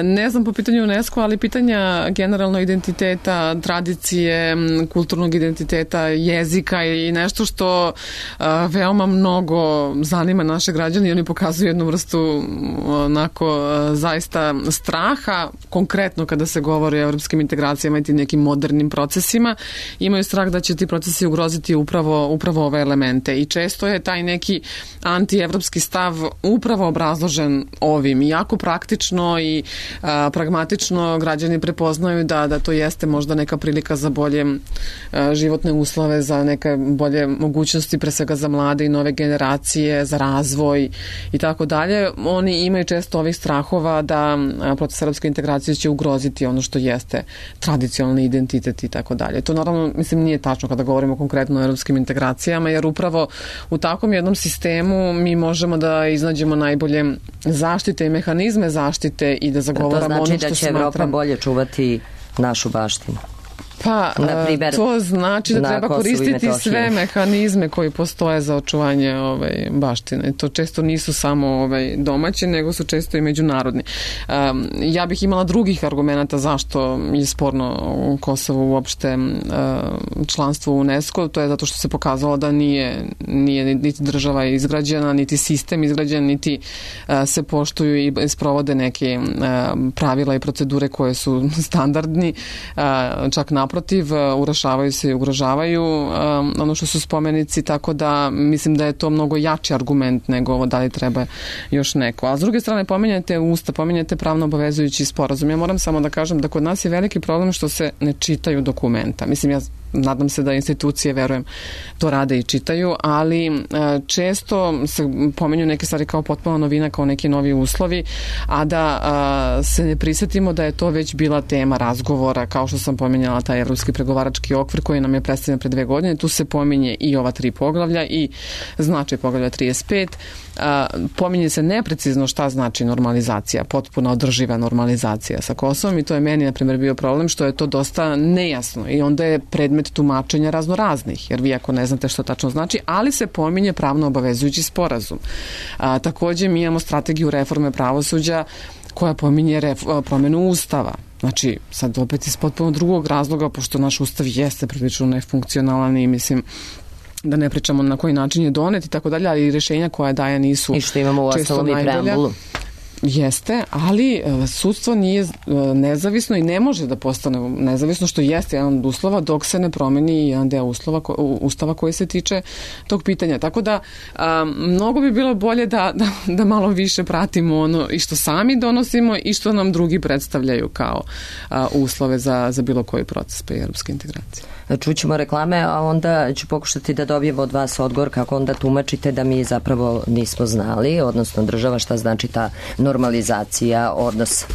Ne znam po pitanju UNESCO, ali pitanja generalno identiteta, tradicije, kulturnog identiteta, jezika i nešto što veoma mnogo zanima naše građane i oni pokazuju jednu vrstu onako zaista straha konkretno kada se govori o evropskim integracijama i tim nekim modernim procesima, imaju strah da će ti procesi ugroziti upravo, upravo ove elemente. I često je taj neki antievropski stav upravo obrazložen ovim. I jako praktično i a, pragmatično građani prepoznaju da, da to jeste možda neka prilika za bolje a, životne uslove, za neke bolje mogućnosti, pre svega za mlade i nove generacije, za razvoj i tako dalje. Oni imaju često ovih strahova da proces evropske integracije će ugroziti ono što jeste tradicionalni identitet i tako dalje. To naravno, mislim, nije tačno kada govorimo konkretno o evropskim integracijama, jer upravo u takvom jednom sistemu mi možemo da iznađemo najbolje zaštite i mehanizme zaštite i da zagovaramo ono što smatram. To znači da će Evropa bolje čuvati našu baštinu. Pa, Naprimer, to znači da treba koristiti sve mehanizme koji postoje za očuvanje ovaj, baštine. To često nisu samo ovaj, domaći, nego su često i međunarodni. Um, ja bih imala drugih argumenta zašto je sporno u Kosovu uopšte uh, članstvo u UNESCO. To je zato što se pokazalo da nije, nije niti država izgrađena, niti sistem izgrađen, niti uh, se poštuju i sprovode neke uh, pravila i procedure koje su standardni, uh, čak naprotiv, urašavaju se i ugrožavaju um, ono što su spomenici, tako da mislim da je to mnogo jači argument nego ovo da li treba još neko. A s druge strane pominjate usta, pominjate pravno obavezujući sporazum. Ja moram samo da kažem da kod nas je veliki problem što se ne čitaju dokumenta. Mislim, ja nadam se da institucije, verujem, to rade i čitaju, ali često se pominju neke stvari kao potpuno novina, kao neki novi uslovi, a da a, se ne prisjetimo da je to već bila tema razgovora, kao što sam pominjala taj evropski pregovarački okvir koji nam je predstavljen pre dve godine. Tu se pominje i ova tri poglavlja i značaj poglavlja trideset pet. A, pominje se neprecizno šta znači normalizacija, potpuno održiva normalizacija sa Kosovom i to je meni, na primjer, bio problem što je to dosta nejasno i onda je predmet tumačenja raznoraznih, jer vi ako ne znate što tačno znači, ali se pominje pravno obavezujući sporazum. A, također mi imamo strategiju reforme pravosuđa koja pominje ref- promjenu ustava. Znači, sad opet iz potpuno drugog razloga, pošto naš ustav jeste prilično nefunkcionalan i mislim da ne pričamo na koji način je donet i tako dalje, ali rješenja koja daje nisu i što imamo u ostalom i preambulu. Jeste, ali sudstvo nije nezavisno i ne može da postane nezavisno, što jeste jedan od uslova dok se ne promeni jedan deo uslova, ustava koji se tiče tog pitanja. Tako da a, mnogo bi bilo bolje da, da, da malo više pratimo ono i što sami donosimo i što nam drugi predstavljaju kao a, uslove za, za bilo koji proces pa i evropske integracije. Čućemo reklame, a onda ću pokušati da dobijemo od vas odgovor kako onda tumačite da mi zapravo nismo znali, odnosno država, šta znači ta normalizacija odnosa.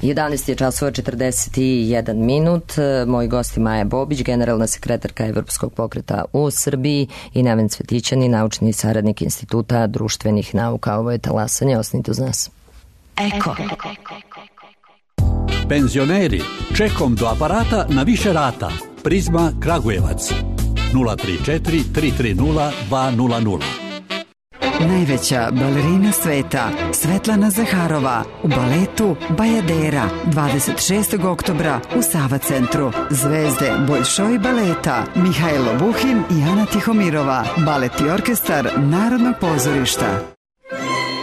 jedanaest je časova četrdeset jedan minut. Moji gosti Maja Bobić, generalna sekretarka Evropskog pokreta u Srbiji, i Neven Cvetićani, naučni saradnik Instituta društvenih nauka. Ovo je talasanje, ostanite uz nas. Eko. Penzioneri, čekom do aparata na više rata. Prizma Kragujevac nula tri četiri tri tri nula dva nula nula. Najveća balerina sveta Svetlana Zaharova u baletu Bajadera dvadeset šestog oktobra u Sava centru. Zvezde Boljšoj baleta Mihajlo Buhin i Ana Tihomirova. Balet i orkestar Narodnog pozorišta.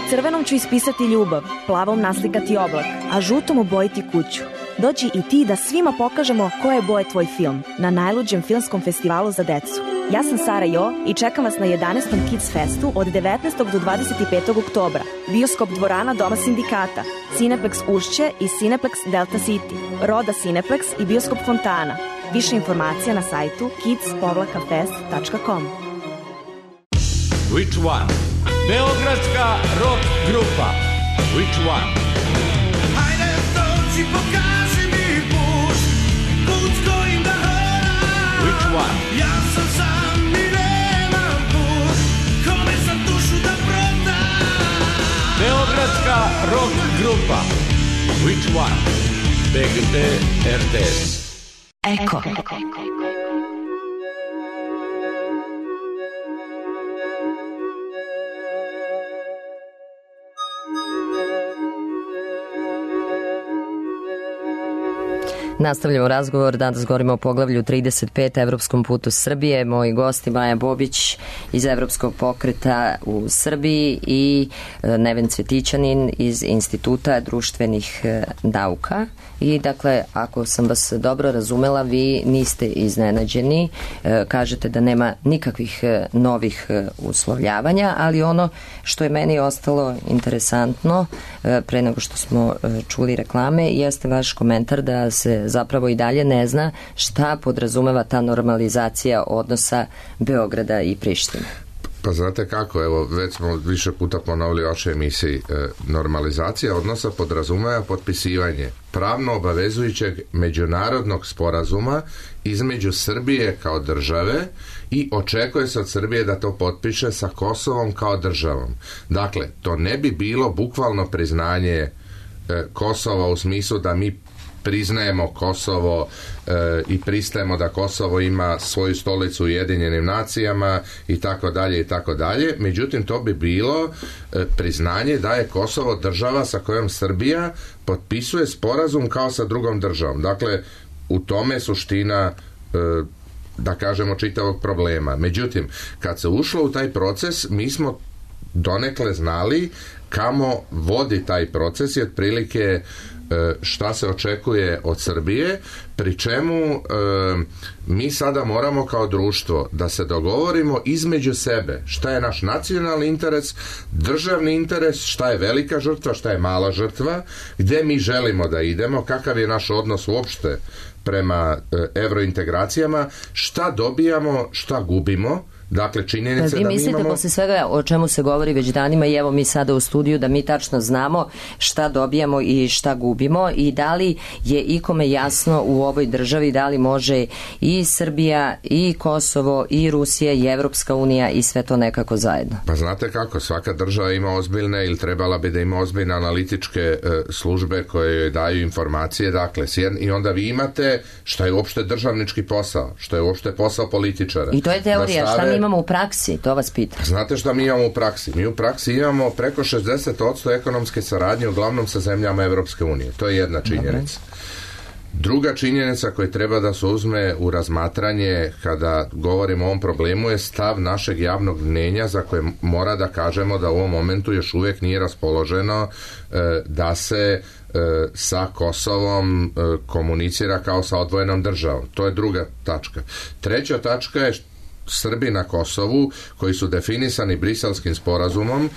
Crvenom ću ispisati ljubav, plavom naslikati oblak, a žutom obojiti kuću. Dođi i ti da svima pokažemo koje je boje tvoj film na najluđem filmskom festivalu za decu. Ja sam Sara Jo i čekam vas na jedanaestom Kids Festu od devetnaestog do dvadeset petog oktobra. Bioskop dvorana Doma sindikata, Cineplex Ušće i Cineplex Delta City, Roda Cineplex i Bioskop Fontana. Više informacija na sajtu kids fest tačka com. Which one? Beogradska rock grupa. Which one? Hajde dođi, pokaži mi put, put kojim da hodam. Which one? Ja sam sam i nemam put, kome sam dušu da prodam. Beogradska rock grupa. Which one? B G T R T S. Eko. Nastavljamo razgovor, danas govorimo o poglavlju trideset pet Evropskom putu Srbije. Moji gosti Maja Bobić iz Evropskog pokreta u Srbiji i Neven Cvjetićanin iz Instituta društvenih nauka. I dakle, ako sam vas dobro razumela, vi niste iznenađeni, kažete da nema nikakvih novih uslovljavanja, ali ono što je meni ostalo interesantno pre nego što smo čuli reklame jeste vaš komentar da se zapravo i dalje ne zna šta podrazumeva ta normalizacija odnosa Beograda i Prištine. Pa znate kako, evo, već smo više puta ponovili u vašoj emisiji, e, normalizacija odnosa podrazumeva potpisivanje pravno obavezujućeg međunarodnog sporazuma između Srbije kao države i očekuje se od Srbije da to potpiše sa Kosovom kao državom. Dakle, to ne bi bilo bukvalno priznanje e, Kosova u smislu da mi priznajemo Kosovo e, i pristajemo da Kosovo ima svoju stolicu u Ujedinjenim nacijama i tako dalje i tako dalje. Međutim, to bi bilo e, priznanje da je Kosovo država sa kojom Srbija potpisuje sporazum kao sa drugom državom. Dakle, u tome je suština e, da kažemo čitavog problema. Međutim, kad se ušlo u taj proces, mi smo donekle znali kamo vodi taj proces i otprilike šta se očekuje od Srbije, pri čemu e, mi sada moramo kao društvo da se dogovorimo između sebe šta je naš nacionalni interes, državni interes, šta je velika žrtva, šta je mala žrtva, gde mi želimo da idemo, kakav je naš odnos uopšte prema e, evrointegracijama, šta dobijamo, šta gubimo. Dakle, činjenica da mi imamo... Vi mislite posle svega o čemu se govori već danima i evo mi sada u studiju da mi tačno znamo šta dobijamo i šta gubimo i da li je ikome jasno u ovoj državi da li može i Srbija i Kosovo i Rusija i Evropska unija i sve to nekako zajedno? Pa znate kako, svaka država ima ozbiljne ili trebala bi da ima ozbiljne analitičke e, službe koje joj daju informacije, dakle, sjedn, i onda vi imate šta je uopšte državnički posao, što je uopšte posao političara. I to je teorija, šta mi imamo u praksi, to vas pitam. Znate šta mi imamo u praksi? Mi u praksi imamo preko šezdeset posto ekonomske saradnje uglavnom sa zemljama Evropske unije. To je jedna činjenica. Druga činjenica koja treba da se uzme u razmatranje kada govorimo o ovom problemu je stav našeg javnog mnjenja za koje mora da kažemo da u ovom momentu još uvijek nije raspoloženo e, da se e, sa Kosovom e, komunicira kao sa odvojenom državom. To je druga tačka. Treća tačka je Srbi na Kosovu koji su definisani Briselskim sporazumom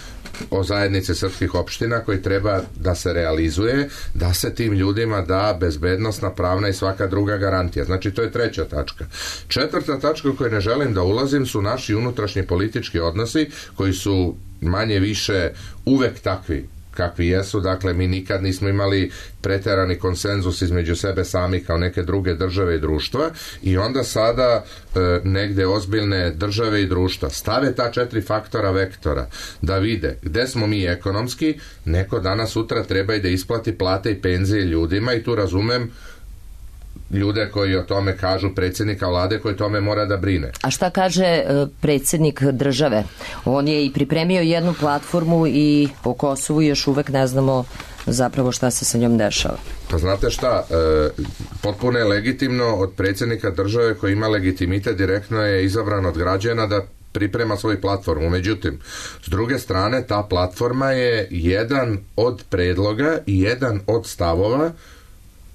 o zajednici srpskih opština koji treba da se realizuje, da se tim ljudima da bezbednostna, pravna i svaka druga garantija. Znači, to je treća tačka. Četvrta tačka u kojoj ne želim da ulazim su naši unutrašnji politički odnosi koji su manje više uvek takvi kakvi jesu, dakle mi nikad nismo imali preterani konsenzus između sebe sami kao neke druge države i društva i onda sada e, negde ozbiljne države i društva stave ta četiri faktora vektora da vide gde smo mi ekonomski, neko danas sutra treba i da isplati plate i penzije ljudima i tu razumem ljude koji o tome kažu, predsjednika vlade koji tome mora da brine. A šta kaže predsjednik države? On je i pripremio jednu platformu i o Kosovu još uvek ne znamo zapravo šta se sa njom dešava. Pa znate šta, e, potpuno je legitimno od predsjednika države koji ima legitimitet, direktno je izabran od građana da priprema svoju platformu. Međutim, s druge strane, ta platforma je jedan od predloga i jedan od stavova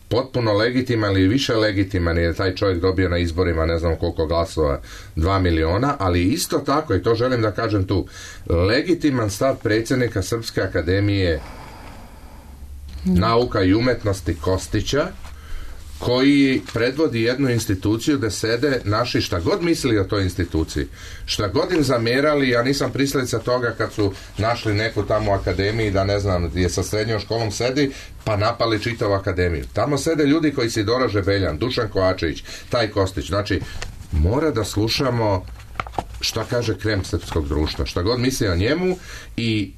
potpuno legitiman ili više legitiman je taj čovjek dobio na izborima ne znam koliko glasova, dva miliona, ali isto tako, i to želim da kažem tu, legitiman stav predsjednika Srpske akademije nauka i umetnosti Kostića, koji predvodi jednu instituciju gde sede naši šta god mislili o toj instituciji, šta god im zamjerali, ja nisam pristalica toga kad su našli neku tamo akademiji da ne znam je sa srednjom školom sedi pa napali čitavu akademiju. Tamo sede ljudi koji se Dora Žebeljan, Dušan Kovačević, taj Kostić. Znači, mora da slušamo šta kaže krem srpskog društva, šta god misli o njemu i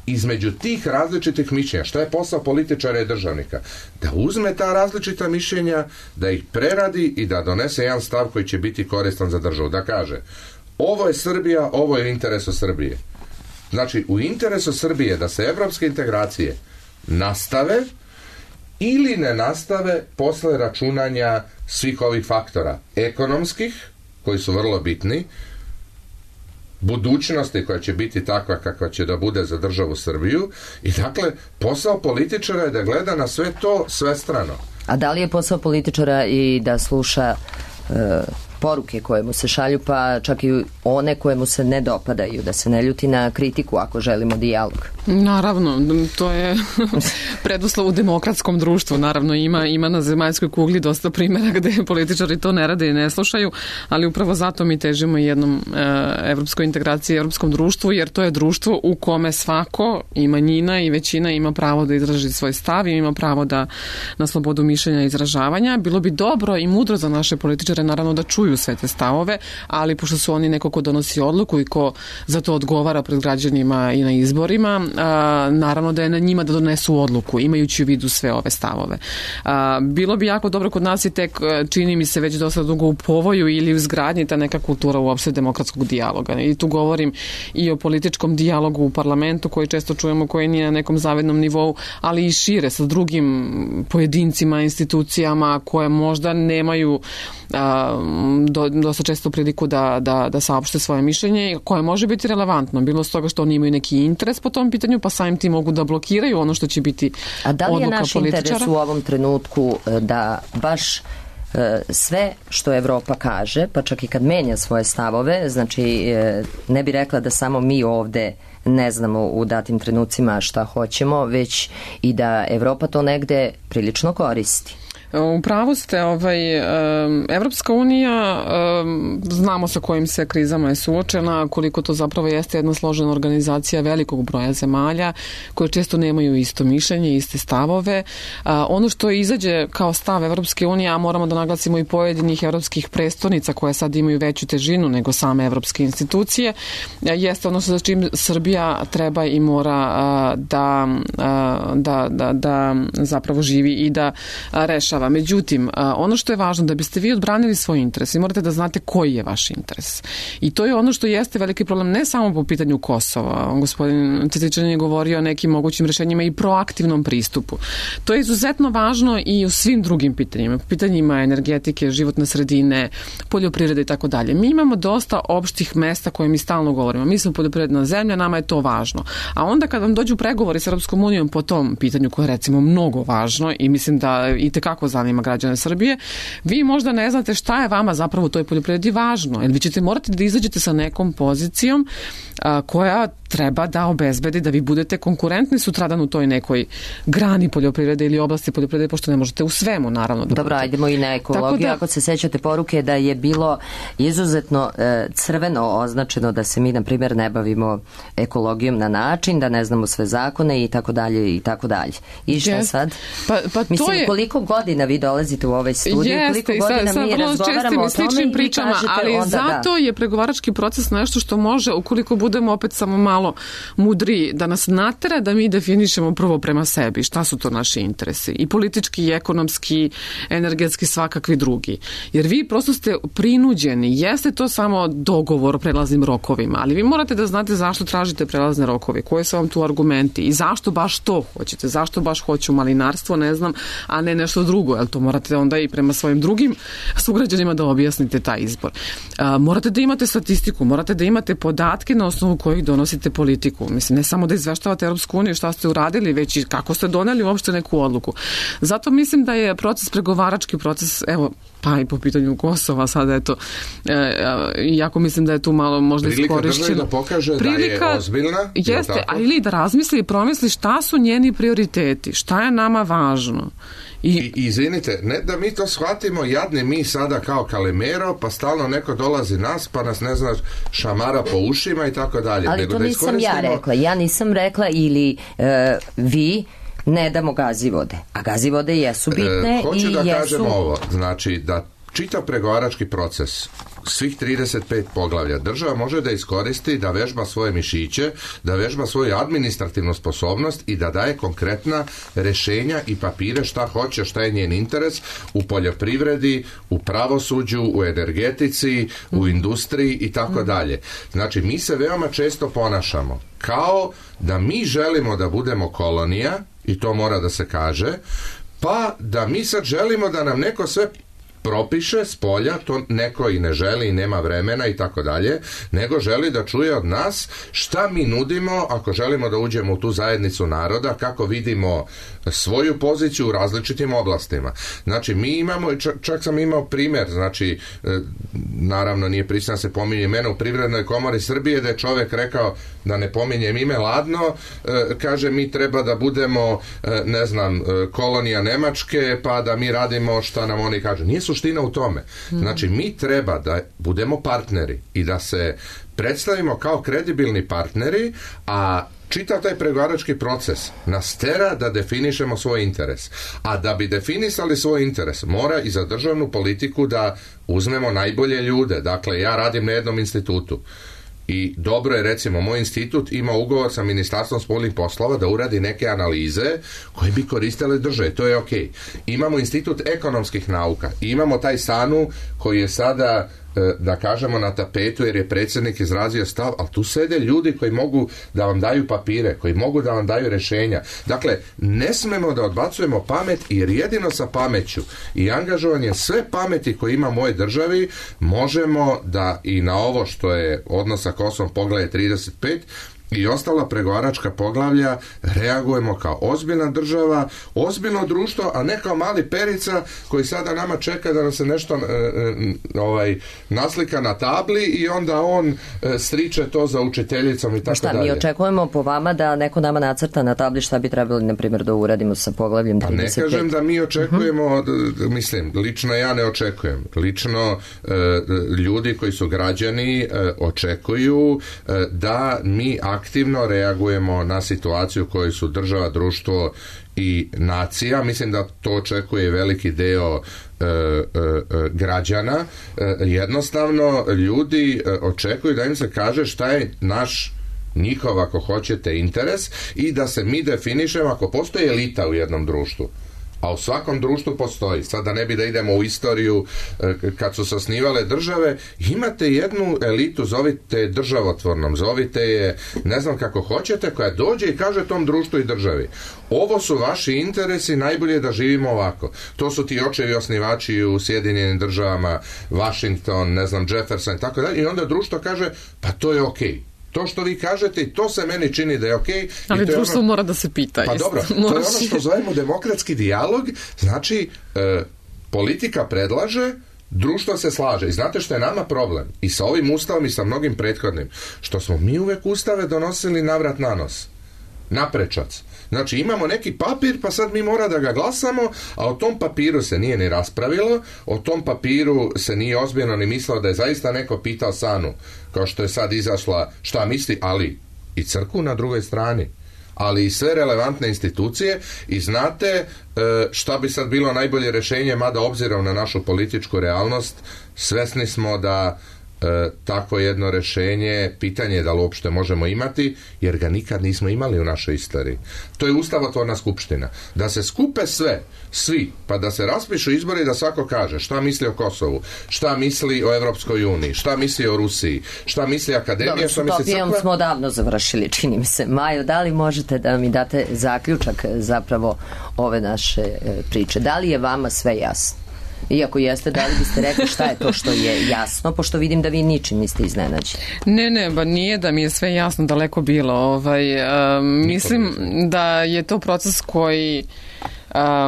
između tih različitih mišljenja, šta je posao političara i državnika, da uzme ta različita mišljenja, da ih preradi i da donese jedan stav koji će biti koristan za državu, da kaže ovo je Srbija, ovo je u interesu Srbije. Znači, u interesu Srbije da se evropske integracije nastave ili ne nastave posle računanja svih ovih faktora ekonomskih, koji su vrlo bitni, budućnosti koja će biti takva kakva će da bude za državu Srbiju, i dakle posao političara je da gleda na sve to svestrano. A da li je posao političara i da sluša e, poruke koje mu se šalju, pa čak i one koje mu se ne dopadaju, da se ne ljuti na kritiku ako želimo dijalog? Naravno, to je preduslov u demokratskom društvu. Naravno, ima, ima na zemaljskoj kugli dosta primjera gde političari to ne rade i ne slušaju, ali upravo zato mi težimo jednom e, evropskoj integraciji, evropskom društvu, jer to je društvo u kome svako, i manjina i većina, ima pravo da izraži svoj stav i ima pravo da na slobodu mišljenja i izražavanja. Bilo bi dobro i mudro za naše političare, naravno, da čuju sve te stavove, ali pošto su oni neko ko donosi odluku i ko za to odgovara pred građanima i na izborima, a, naravno da je na njima da donesu odluku, imajući u vidu sve ove stavove. A, bilo bi jako dobro, kod nas je tek, čini mi se, već dosta dugo u povoju ili u izgradnji ta neka kultura uopšte demokratskog dijaloga. I tu govorim i o političkom dijalogu u parlamentu koji često čujemo, koji nije na nekom zavidnom nivou, ali i šire sa drugim pojedincima, institucijama koje možda nemaju a, do, dosta često priliku da, da, da saopšte svoje mišljenje, koje može biti relevantno, bilo s toga što oni imaju neki interes po tom pitanju, pa samim tim mogu da blokiraju ono što će biti odluka političara. A da li je naš interes u ovom trenutku da baš sve što Evropa kaže, pa čak i kad menja svoje stavove, znači ne bi rekla da samo mi ovde ne znamo u datim trenucima šta hoćemo, već i da Evropa to negde prilično koristi? U pravu ste, ovaj, Evropska unija, znamo sa kojim se krizama je suočena, koliko to zapravo jeste jedna složena organizacija velikog broja zemalja koje često nemaju isto mišljenje, iste stavove. Ono što izađe kao stav Evropske unije, a moramo da naglasimo i pojedinih evropskih prestolnica koje sad imaju veću težinu nego same evropske institucije, jeste ono sa čim Srbija treba i mora da, da, da, da zapravo živi i da rešava. Međutim, ono što je važno, da biste vi odbranili svoj interes, vi morate da znate koji je vaš interes. I to je ono što jeste veliki problem, ne samo po pitanju Kosova. Gospodin Cvetićanin je govorio o nekim mogućim rešenjima i proaktivnom pristupu. To je izuzetno važno i u svim drugim pitanjima. Pitanjima energetike, životne sredine, poljoprivrede i tako dalje. Mi imamo dosta opštih mesta koje mi stalno govorimo. Mi smo poljoprivredna zemlja, nama je to važno. A onda kad vam dođu pregovori s Europskom unijom po tom pitanju koje je recimo mnogo važno i mislim da i tekako zanima građane Srbije, vi možda ne znate šta je vama zapravo u toj poljoprivredi važno, jer vi ćete morati da izađete sa nekom pozicijom a, koja treba da obezbedi da vi budete konkurentni sutradan u toj nekoj grani poljoprivrede ili oblasti poljoprivrede, pošto ne možete u svemu, naravno. Da Dobro, ajdemo i na ekologiju. Da, ako se sećate poruke da je bilo izuzetno e, crveno označeno da se mi, na primjer, ne bavimo ekologijom na način, da ne znamo sve zakone i tako dalje i tako dalje. I šta yes. sad? Pa, pa Mislim, to je... koliko godina vi dolazite u ovaj studij, Jeste, koliko godina sa, mi razgovaramo o tome pričama, i kažete ali onda zato da. je pregovarački proces nešto što može, ukoliko budemo opet samo malo mudri, da nas natera da mi definišemo prvo prema sebi šta su to naši interesi, i politički, i ekonomski, energetski, svakakvi drugi. Jer vi prosto ste prinuđeni, jeste to samo dogovor o prelaznim rokovima, ali vi morate da znate zašto tražite prelazne rokove, koje su vam tu argumenti i zašto baš to hoćete, zašto baš hoću malinarstvo, ne znam, a ne nešto drugo, jer to morate onda i prema svojim drugim sugrađanima da objasnite taj izbor. A, morate da imate statistiku, morate da imate podatke na osnovu kojih donosite politiku. Mislim, ne samo da izveštavate Europsku uniju šta ste uradili, već i kako ste doneli uopšte neku odluku. Zato mislim da je proces pregovarački proces, evo, pa i po pitanju Kosova sada, eto, e, jako mislim da je tu malo možda iskorišćeno. Prilika državi da pokaže Prilika, da je ozbiljna. Jeste, ali da razmisli i promisli šta su njeni prioriteti, šta je nama važno. I, I izvinite, ne da mi to shvatimo jadni mi sada kao Kalimero, pa stalno neko dolazi nas, pa nas ne znaš šamara po ušima i tako dalje. Ali nego to da nisam ja rekla. Ja nisam rekla ili e, vi ne damo gazivode. A gazivode jesu bitne e, hoću i da jesu... kažem ovo, znači da čitav pregovarački proces, svih trideset pet poglavlja, država može da iskoristi da vežba svoje mišiće, da vežba svoju administrativnu sposobnost i da daje konkretna rešenja i papire šta hoće, šta je njen interes u poljoprivredi, u pravosuđu, u energetici, u industriji i tako dalje. Znači, mi se veoma često ponašamo kao da mi želimo da budemo kolonija, i to mora da se kaže, pa da mi sad želimo da nam neko sve propiše s polja, to neko i ne želi i nema vremena i tako dalje, nego želi da čuje od nas šta mi nudimo ako želimo da uđemo u tu zajednicu naroda, kako vidimo svoju poziciju u različitim oblastima. Znači, mi imamo, čak, čak sam imao primjer, znači, naravno nije pristojno se pominje imena u Privrednoj komori Srbije, da je čovjek rekao, da ne pominjem ime, ladno, kaže, mi treba da budemo, ne znam, kolonija Nemačke, pa da mi radimo šta nam oni kažu. Nije suština u tome. Znači, mi treba da budemo partneri i da se predstavimo kao kredibilni partneri, a čitav taj pregovarački proces nas tera da definišemo svoj interes. A da bi definisali svoj interes, mora i za državnu politiku da uzmemo najbolje ljude. Dakle, ja radim na jednom institutu. I dobro je, recimo, moj institut ima ugovor sa Ministarstvom spoljnih poslova da uradi neke analize koje bi koristile države, to je okej. Imamo institut ekonomskih nauka, imamo taj SANU koji je sada, da kažemo, na tapetu jer je predsjednik izrazio stav, ali tu sede ljudi koji mogu da vam daju papire, koji mogu da vam daju rješenja. Dakle, ne smemo da odbacujemo pamet, jer jedino sa pameću i angažovanje sve pameti koje ima u mojoj državi možemo da i na ovo što je odnos sa Kosovom poglavlje trideset pet i ostala pregovaračka poglavlja reagujemo kao ozbiljna država, ozbiljno društvo, a ne kao mali Perica koji sada nama čeka da nam se nešto e, e, ovaj, naslika na tabli i onda on e, striče to za učiteljicom i tako šta, dalje. Mi očekujemo po vama da neko nama nacrta na tabli šta bi trebali, na primjer, da uradimo sa poglavljem trideset pet. Pa ne kažem da mi očekujemo, uh-huh. mislim, lično ja ne očekujem. Lično e, ljudi koji su građani e, očekuju e, da mi aktivno reagujemo na situaciju u kojoj su država, društvo i nacija. Mislim da to očekuje veliki deo e, e, građana. E, jednostavno, ljudi očekuju da im se kaže šta je naš, njihov, ako hoćete, interes i da se mi definišemo ako postoji elita u jednom društvu. A u svakom društvu postoji. Sada ne bi da idemo u istoriju kad su se osnivale države, imate jednu elitu, zovite državotvornom, zovite je, ne znam kako hoćete, koja dođe i kaže tom društvu i državi: ovo su vaši interesi, najbolje da živimo ovako. To su ti očevi osnivači u Sjedinjenim državama, Washington, ne znam, Jefferson i tako dalje. I onda društvo kaže, pa to je okej. Okay. To što vi kažete i to se meni čini da je okej. Okay, ali društvo ono... mora da se pita. Pa jest. dobro, to je ono što zovemo demokratski dijalog. Znači, e, politika predlaže, društvo se slaže. I znate što je nama problem? I sa ovim ustavom i sa mnogim prethodnim. Što smo mi uvek ustave donosili navrat na nos. Naprečac. Znači, imamo neki papir, pa sad mi mora da ga glasamo, a o tom papiru se nije ni raspravilo, o tom papiru se nije ozbiljno ni mislilo da je zaista neko pitao SANU, kao što je sad izašla šta misli, ali i crkvu na drugoj strani, ali i sve relevantne institucije. I znate šta bi sad bilo najbolje rješenje, mada obzirom na našu političku realnost, svesni smo da E, takvo jedno rješenje, pitanje je da li uopšte možemo imati, jer ga nikad nismo imali u našoj istoriji. To je ustavotvorna skupština. Da se skupe sve, svi, pa da se raspišu izbori i da svako kaže šta misli o Kosovu, šta misli o Evropskoj uniji, šta misli o Rusiji, šta misli akademija, dobro, šta misli crkva. Dobro, smo davno završili, čini mi se. Majo, da li možete da mi date zaključak zapravo ove naše priče? Da li je vama sve jasno? Iako jeste, da li biste rekli šta je to što je jasno, pošto vidim da vi ničim niste iznenađeni? Ne, ne, ba nije da mi je sve jasno, daleko bilo. Ovaj, um, mislim da je to proces koji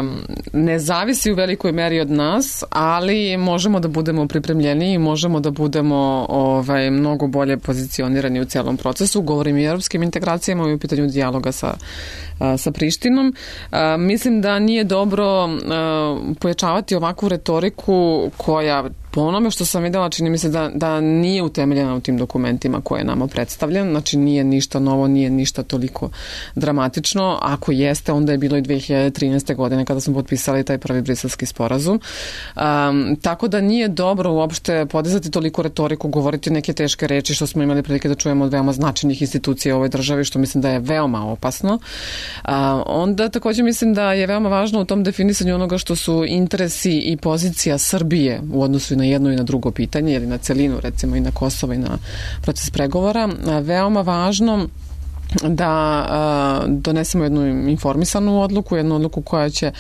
Um, ne zavisi u velikoj meri od nas, ali možemo da budemo pripremljeni i možemo da budemo ovaj, mnogo bolje pozicionirani u celom procesu. Govorim i o europskim integracijama i u pitanju dijaloga sa, sa Prištinom. Uh, mislim da nije dobro uh, pojačavati ovakvu retoriku koja, po onome što sam videla, čini mi se da, da nije utemeljena u tim dokumentima koje je nama predstavljen. Znači, nije ništa novo, nije ništa toliko dramatično. Ako jeste, onda je bilo i dve hiljade trinaeste. godine kada smo potpisali taj prvi briselski sporazum. Um, tako da nije dobro uopšte podizati toliko retoriku, govoriti neke teške reči što smo imali prilike da čujemo od veoma značajnih institucija u ovoj državi, što mislim da je veoma opasno. Uh, onda također mislim da je veoma važno u tom definisanju onoga što su interesi i pozicija Srbije u odnosu i na jedno i na drugo pitanje, ili na celinu, recimo i na Kosovo i na proces pregovora. Uh, veoma važno da a, donesemo jednu informisanu odluku, jednu odluku koja će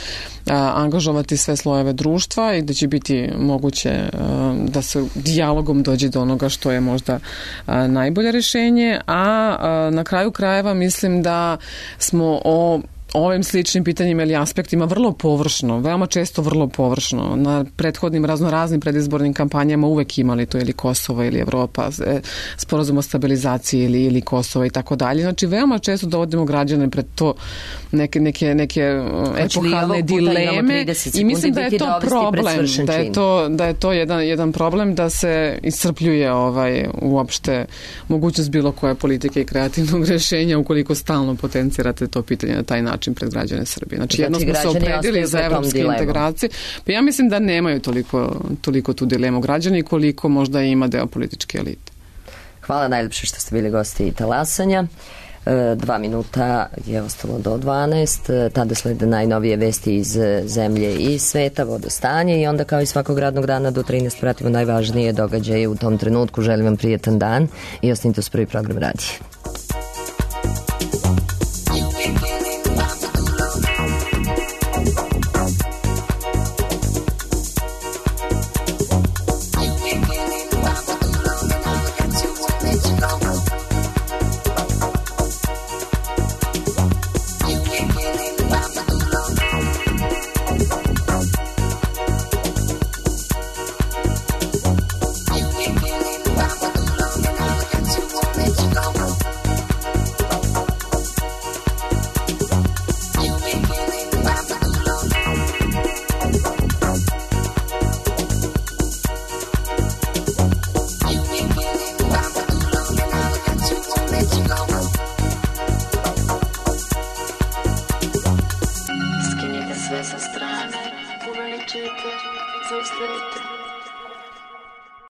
a, angažovati sve slojeve društva i da će biti moguće a, da se dijalogom dođe do onoga što je možda a, najbolje rešenje, a, a na kraju krajeva mislim da smo o ovim sličnim pitanjima ili aspektima vrlo površno, veoma često vrlo površno. Na prethodnim raznoraznim predizbornim kampanjama uvek imali to ili Kosovo ili Evropa, sporazum o stabilizaciji ili, ili Kosovo i tako dalje. Znači, veoma često dovodimo građane pred to neke, neke, neke epohalne dileme i mislim da je to problem, da je to, da je to jedan, jedan problem da se iscrpljuje ovaj, uopšte mogućnost bilo koje politike i kreativnog rešenja ukoliko stalno potencirate to pitanje na taj način pred građane Srbije. Znači, jedno smo se opredili za evropske integracije. Pa ja mislim da nemaju toliko, toliko tu dilemu građani koliko možda ima deo političke elite. Hvala najljepše što ste bili gosti Talasanja. Dva minuta je ostalo do dvanaest. Tada slede najnovije vesti iz zemlje i sveta, vodostanje i onda kao i svakog radnog dana do trinaest pratimo najvažnije događaje u tom trenutku. Želim vam prijetan dan i ostanite uz prvi program radija. Sve sa strane, uveličite, zaustavite.